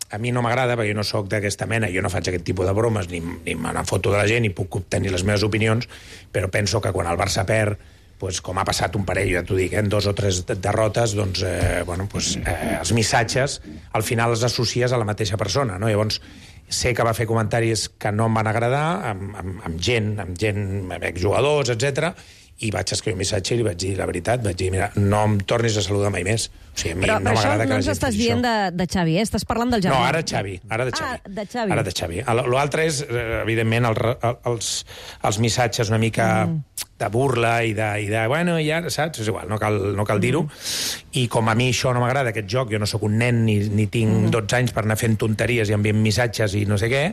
[SPEAKER 15] a mi no m'agrada, perquè jo no sóc d'aquesta mena, jo no faig aquest tipus de bromes, ni, ni me n'enfoto de la gent, ni puc obtenir les meves opinions, però penso que quan el Barça perd, pues, com ha passat un parell, ja t'ho dic, eh, en dos o tres derrotes, doncs, eh, bueno, pues, eh, els missatges al final els associes a la mateixa persona, no? Llavors, sé que va fer comentaris que no em van agradar, amb, amb, amb gent, amb gent, amb exjugadors, etcètera, i vaig escriure un missatge i li vaig dir la veritat, vaig dir, mira, no em tornis a saludar mai més. O sigui, a mi
[SPEAKER 3] però,
[SPEAKER 15] no m'agrada que la gent...
[SPEAKER 3] Però això no ens estàs dient de, de Xavi, eh? Estàs parlant del germà.
[SPEAKER 15] No, ara Xavi, ara de Xavi.
[SPEAKER 3] Ah, de Xavi.
[SPEAKER 15] Ara de Xavi. L'altre és, evidentment, el, els, els missatges una mica mm. de burla i de, i de, bueno, ja, saps? És igual, no cal, no cal dir-ho. Mm. I com a mi això no m'agrada, aquest joc, jo no sóc un nen ni, ni tinc mm. dotze anys per anar fent tonteries i enviant missatges i no sé què,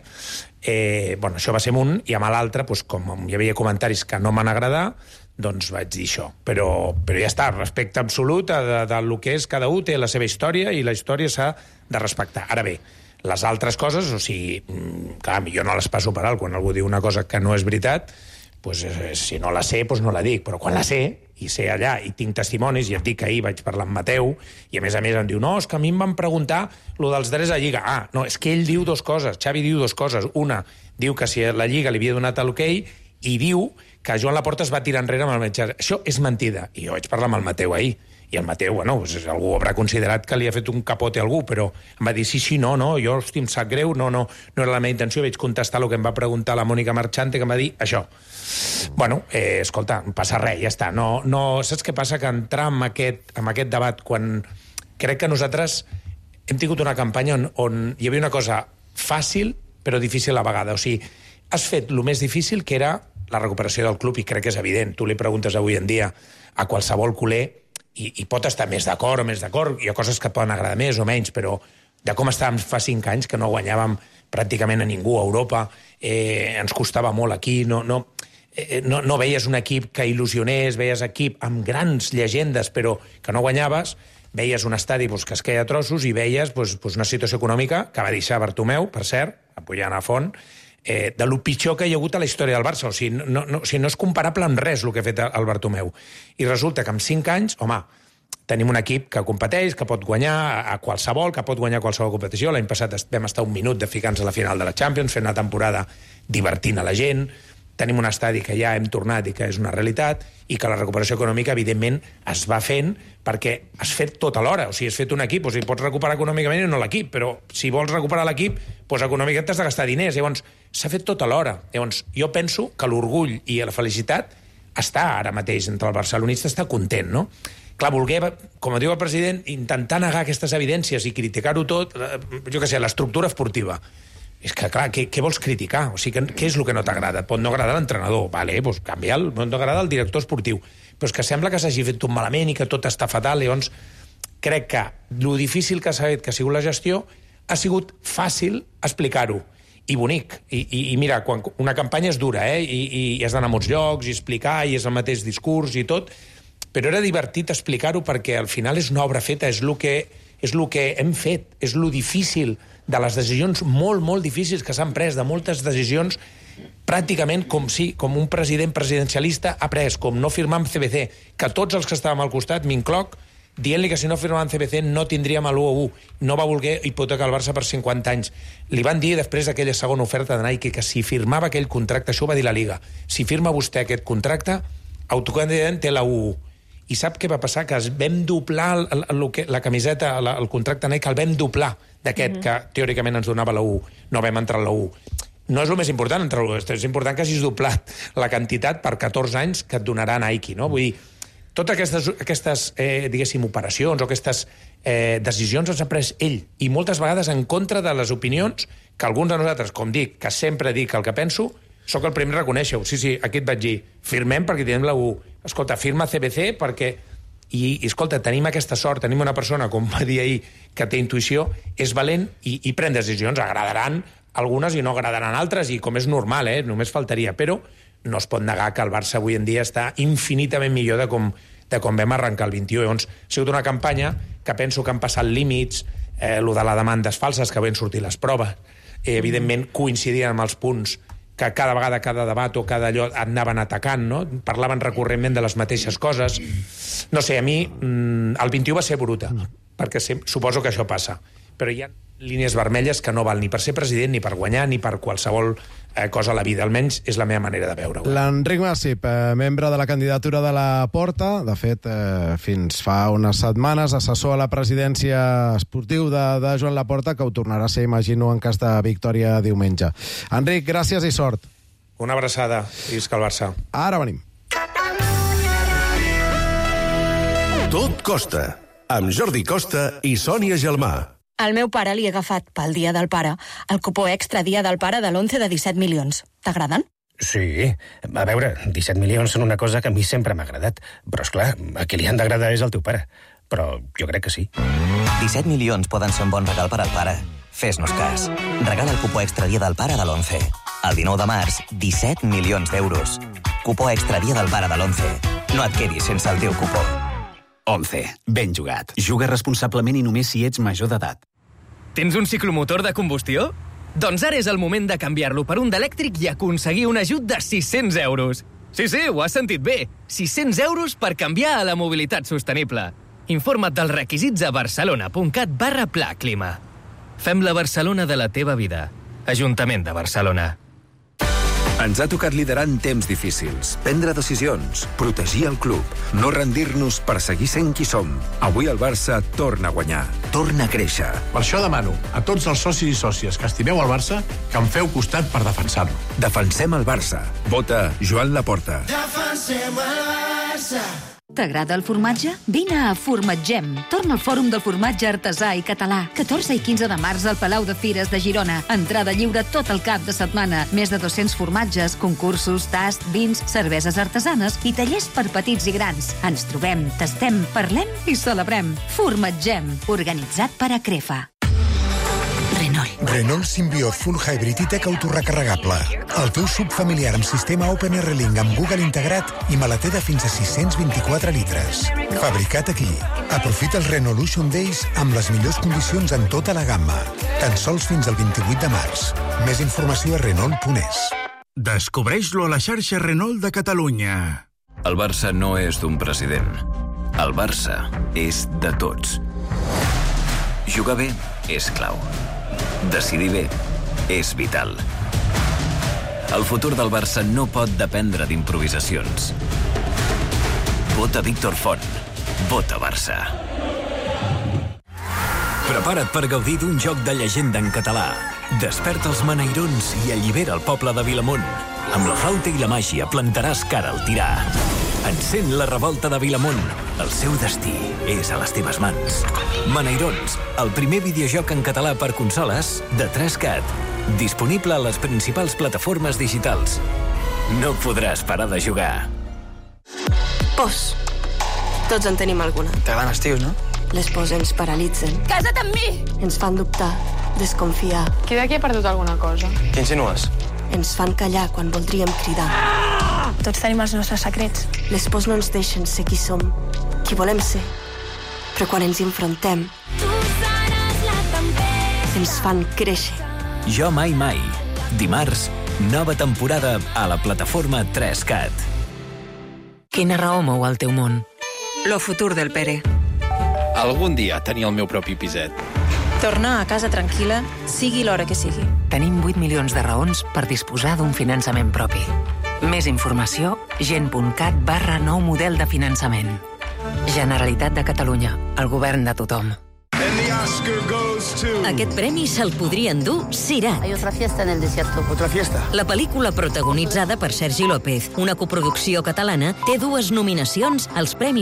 [SPEAKER 15] eh, bueno, això va ser un, i amb l'altre, doncs, com hi havia comentaris que no m'han agradat, doncs vaig dir això. Però, però ja està, respecte absolut a de, de lo que és, cada un té la seva història i la història s'ha de respectar. Ara bé, les altres coses, o sigui, clar, jo no les passo per alt. Quan algú diu una cosa que no és veritat, doncs, eh, si no la sé, doncs no la dic. Però quan la sé, i sé allà, i tinc testimonis, i et dic que ahir vaig parlar amb Mateu, i a més a més em diu, no, és que a mi em van preguntar lo dels drets a Lliga. Ah, no, és que ell diu dos coses, Xavi diu dos coses. Una, diu que si la Lliga li havia donat l'hoquei, i diu que Joan Laporta es va tirar enrere amb el metge. Això és mentida. I jo vaig parlar amb el Mateu ahir. I el Mateu, bueno, pues, algú haurà considerat que li ha fet un capote a algú, però em va dir, sí, sí, no, no, jo, hosti, em sap greu, no, no, no era la meva intenció, vaig contestar el que em va preguntar la Mònica Marchante, que em va dir això. Bueno, eh, escolta, no passa res, ja està. No, no, saps què passa? Que entrar en aquest, en aquest debat, quan crec que nosaltres hem tingut una campanya on, on hi havia una cosa fàcil, però difícil a la vegada. O sigui, has fet el més difícil, que era la recuperació del club, i crec que és evident. Tu li preguntes avui en dia a qualsevol culer i, i pot estar més d'acord o més d'acord. Hi ha coses que et poden agradar més o menys, però de com estàvem fa cinc anys, que no guanyàvem pràcticament a ningú a Europa, eh, ens costava molt aquí, no, no, eh, no, no veies un equip que il·lusionés, veies equip amb grans llegendes però que no guanyaves, veies un estadi pues, que es queia a trossos i veies pues, pues una situació econòmica que va deixar Bartomeu, per cert, apoyant a font, eh, de lo pitjor que hi ha hagut a la història del Barça. O sigui, no, no, o sigui, no és comparable amb res el que ha fet el Bartomeu. I resulta que en cinc anys, home, tenim un equip que competeix, que pot guanyar a qualsevol, que pot guanyar qualsevol competició. L'any passat vam estar un minut de ficar-nos a la final de la Champions, fent una temporada divertint a la gent. Tenim un estadi que ja hem tornat i que és una realitat, i que la recuperació econòmica, evidentment, es va fent perquè has fet tot alhora. O sigui, has fet un equip, o sigui, pots recuperar econòmicament i no l'equip, però si vols recuperar l'equip, doncs econòmicament t'has de gastar diners. Llavors, s'ha fet tot alhora. Llavors, jo penso que l'orgull i la felicitat està ara mateix entre el barcelonista, està content, no? Clar, voler, com diu el president, intentar negar aquestes evidències i criticar-ho tot, jo què sé, l'estructura esportiva. És que, clar, què, què vols criticar? O sigui, què és el que no t'agrada? Pot no agradar l'entrenador, vale, doncs canvia'l, pot no agradar el director esportiu. Però és que sembla que s'hagi fet tot malament i que tot està fatal. Llavors, crec que lo difícil que s'ha fet, que ha sigut la gestió, ha sigut fàcil explicar-ho i bonic. I, i, i mira, quan una campanya és dura, eh? I, i, i has d'anar a molts llocs, i explicar, i és el mateix discurs i tot, però era divertit explicar-ho perquè al final és una obra feta, és el que, és el que hem fet, és lo difícil de les decisions molt, molt difícils que s'han pres, de moltes decisions pràcticament com si, com un president presidencialista ha pres, com no firmar amb C B C, que tots els que estàvem al costat, m'incloc, dient-li que si no firmàvem C B C no tindríem l'u a u, no va voler hipotecar el Barça per cinquanta anys. Li van dir després d'aquella segona oferta de Nike que si firmava aquell contracte, això ho va dir la Liga, si firma vostè aquest contracte, autocandidament té la u a u. I sap què va passar? Que es vam doblar el, el, el, la camiseta, el, el contracte Nike, el vam doblar d'aquest, mm-hmm. que teòricament ens donava la u. No vam entrar a la u. No és el més important entrar a la u, és important que hagis doblat la quantitat per catorze anys que et donarà Nike, no? Vull dir, totes aquestes, aquestes eh, diguéssim, operacions o aquestes eh, decisions les ha pres ell, i moltes vegades en contra de les opinions que alguns de nosaltres, com dic, que sempre dic el que penso, sóc el primer a reconèixer-ho. Sí, sí, aquí et vaig dir, firmem perquè tenim la u. Escolta, firma C B C perquè... I, i escolta, tenim aquesta sort, tenim una persona, com va dir ahir, que té intuïció, és valent i, i pren decisions. Agradaran algunes i no agradaran altres, i com és normal, eh? Només faltaria. Però no es pot negar que el Barça avui en dia està infinitament millor de com, de com vam arrencar el vint-i-u. Llavors, ha sigut una campanya que penso que han passat límits, eh, lo de les demandes falses, que van sortir les proves, eh, evidentment coincidien amb els punts que cada vegada, cada debat o cada allò anaven atacant, no? Parlaven recurrentment de les mateixes coses. No sé, a mi el vint-i-u va ser bruta, perquè suposo que això passa, però hi ha línies vermelles que no val ni per ser president, ni per guanyar, ni per qualsevol eh, cosa a la vida. Almenys és la meva manera de veure-ho.
[SPEAKER 2] L'Enric Masip, eh, membre de la candidatura de la Porta, de fet, eh, fins fa unes setmanes, assessor a la presidència esportiu de, de Joan Laporta, que ho tornarà a ser, imagino, en cas de victòria diumenge. Enric, gràcies i sort.
[SPEAKER 15] Una abraçada, i visca el Barça.
[SPEAKER 2] Ara venim.
[SPEAKER 1] Tot Costa, amb Jordi Costa i Sònia Gelmà.
[SPEAKER 16] Al meu pare li he agafat, pel Dia del Pare, el cupó extra Dia del Pare de l'onze de disset milions. T'agraden?
[SPEAKER 17] Sí. A veure, disset milions són una cosa que a mi sempre m'ha agradat. Però, esclar, a qui li han d'agradar és el teu pare. Però jo crec que sí.
[SPEAKER 18] disset milions poden ser un bon regal per al pare. Fes-nos cas. Regala el cupó extra Dia del Pare de l'onze. El dinou de març, disset milions d'euros. Cupó extra Dia del Pare de l'onze. No et quedis sense el teu cupó.
[SPEAKER 19] onze. Ben jugat. Juga responsablement i només si ets major d'edat.
[SPEAKER 20] Tens un ciclomotor de combustió? Doncs ara és el moment de canviar-lo per un d'elèctric i aconseguir un ajut de sis-cents euros. Sí, sí, ho has sentit bé. sis-cents euros per canviar a la mobilitat sostenible. Informa't dels requisits a barcelona.cat barra pla clima. Fem la Barcelona de la teva vida. Ajuntament de Barcelona.
[SPEAKER 21] Ens ha tocat liderar en temps difícils, prendre decisions, protegir el club, no rendir-nos per seguir sent qui som. Avui el Barça torna a guanyar, torna a créixer.
[SPEAKER 11] Per això demano a tots els socis i sòcies que estimeu el Barça que em feu costat per defensar-lo.
[SPEAKER 21] Defensem el Barça. Vota Joan Laporta.
[SPEAKER 22] Defensem el Barça. T'agrada el formatge? Vine a Formatgem. Torna al Fòrum del Formatge Artesà i Català. catorze i quinze de març al Palau de Fires de Girona. Entrada lliure tot el cap de setmana. Més de dos-cents formatges, concursos, tast, vins, cerveses artesanes i tallers per petits i grans. Ens trobem, tastem, parlem i celebrem. Formatgem. Organitzat per Acrefa.
[SPEAKER 7] Renault Symbiote Full Hybrid i Tech autorecarregable. El teu sub familiar amb sistema OpenR-Link amb Google integrat i maleter de fins a sis-cents vint-i-quatre litres. Fabricat aquí. Aprofita els Renaulution Days amb les millors condicions en tota la gamma. Tan sols fins al vint-i-vuit de març. Més informació a Renault punt es.
[SPEAKER 8] Descobreix-lo a la xarxa Renault de Catalunya.
[SPEAKER 23] El Barça no és d'un president. El Barça és de tots. Jugar bé és clau. Decidir bé és vital. El futur del Barça no pot dependre d'improvisacions. Vota Víctor Font. Vota Barça. Prepara't per gaudir d'un joc de llegenda en català. Desperta els maneirons i allibera el poble de Vilamont. Amb la flauta i la màgia plantaràs cara al tirà. Encén la revolta de Vilamont. El seu destí és a les teves mans. Maneirons, el primer videojoc en català per consoles de tres cat. Disponible a les principals plataformes digitals. No podràs parar de jugar.
[SPEAKER 24] Pors. Tots en tenim alguna.
[SPEAKER 25] T'agraden els tios, no?
[SPEAKER 24] Les pors ens paralitzen.
[SPEAKER 25] Casa't amb mi!
[SPEAKER 24] Ens fan dubtar, desconfiar.
[SPEAKER 25] Qui d'aquí ha perdut alguna cosa? Què insinues?
[SPEAKER 24] Ens fan callar quan voldríem cridar.
[SPEAKER 25] Ah! Tots tenim els nostres secrets.
[SPEAKER 24] Les pors no ens deixen ser qui som, qui volem ser. Però quan ens enfrontem, ens fan créixer.
[SPEAKER 23] Jo mai mai. Dimarts, nova temporada a la plataforma tres cat.
[SPEAKER 26] Quina raó mou el teu món? Lo futur del Pere.
[SPEAKER 27] Algun dia tenir el meu propi piset.
[SPEAKER 26] Tornar a casa tranquil·la, sigui l'hora que sigui. Tenim vuit milions de raons per disposar d'un finançament propi. Més informació, gent.cat barra nou model de finançament. Generalitat de Catalunya, el govern de tothom.
[SPEAKER 28] Aquest premi se'l podria endur Sirat.
[SPEAKER 29] Hay otra fiesta en el desierto.
[SPEAKER 27] Otra fiesta.
[SPEAKER 28] La pel·lícula protagonitzada per Sergi López, una coproducció catalana, té dues nominacions als Premis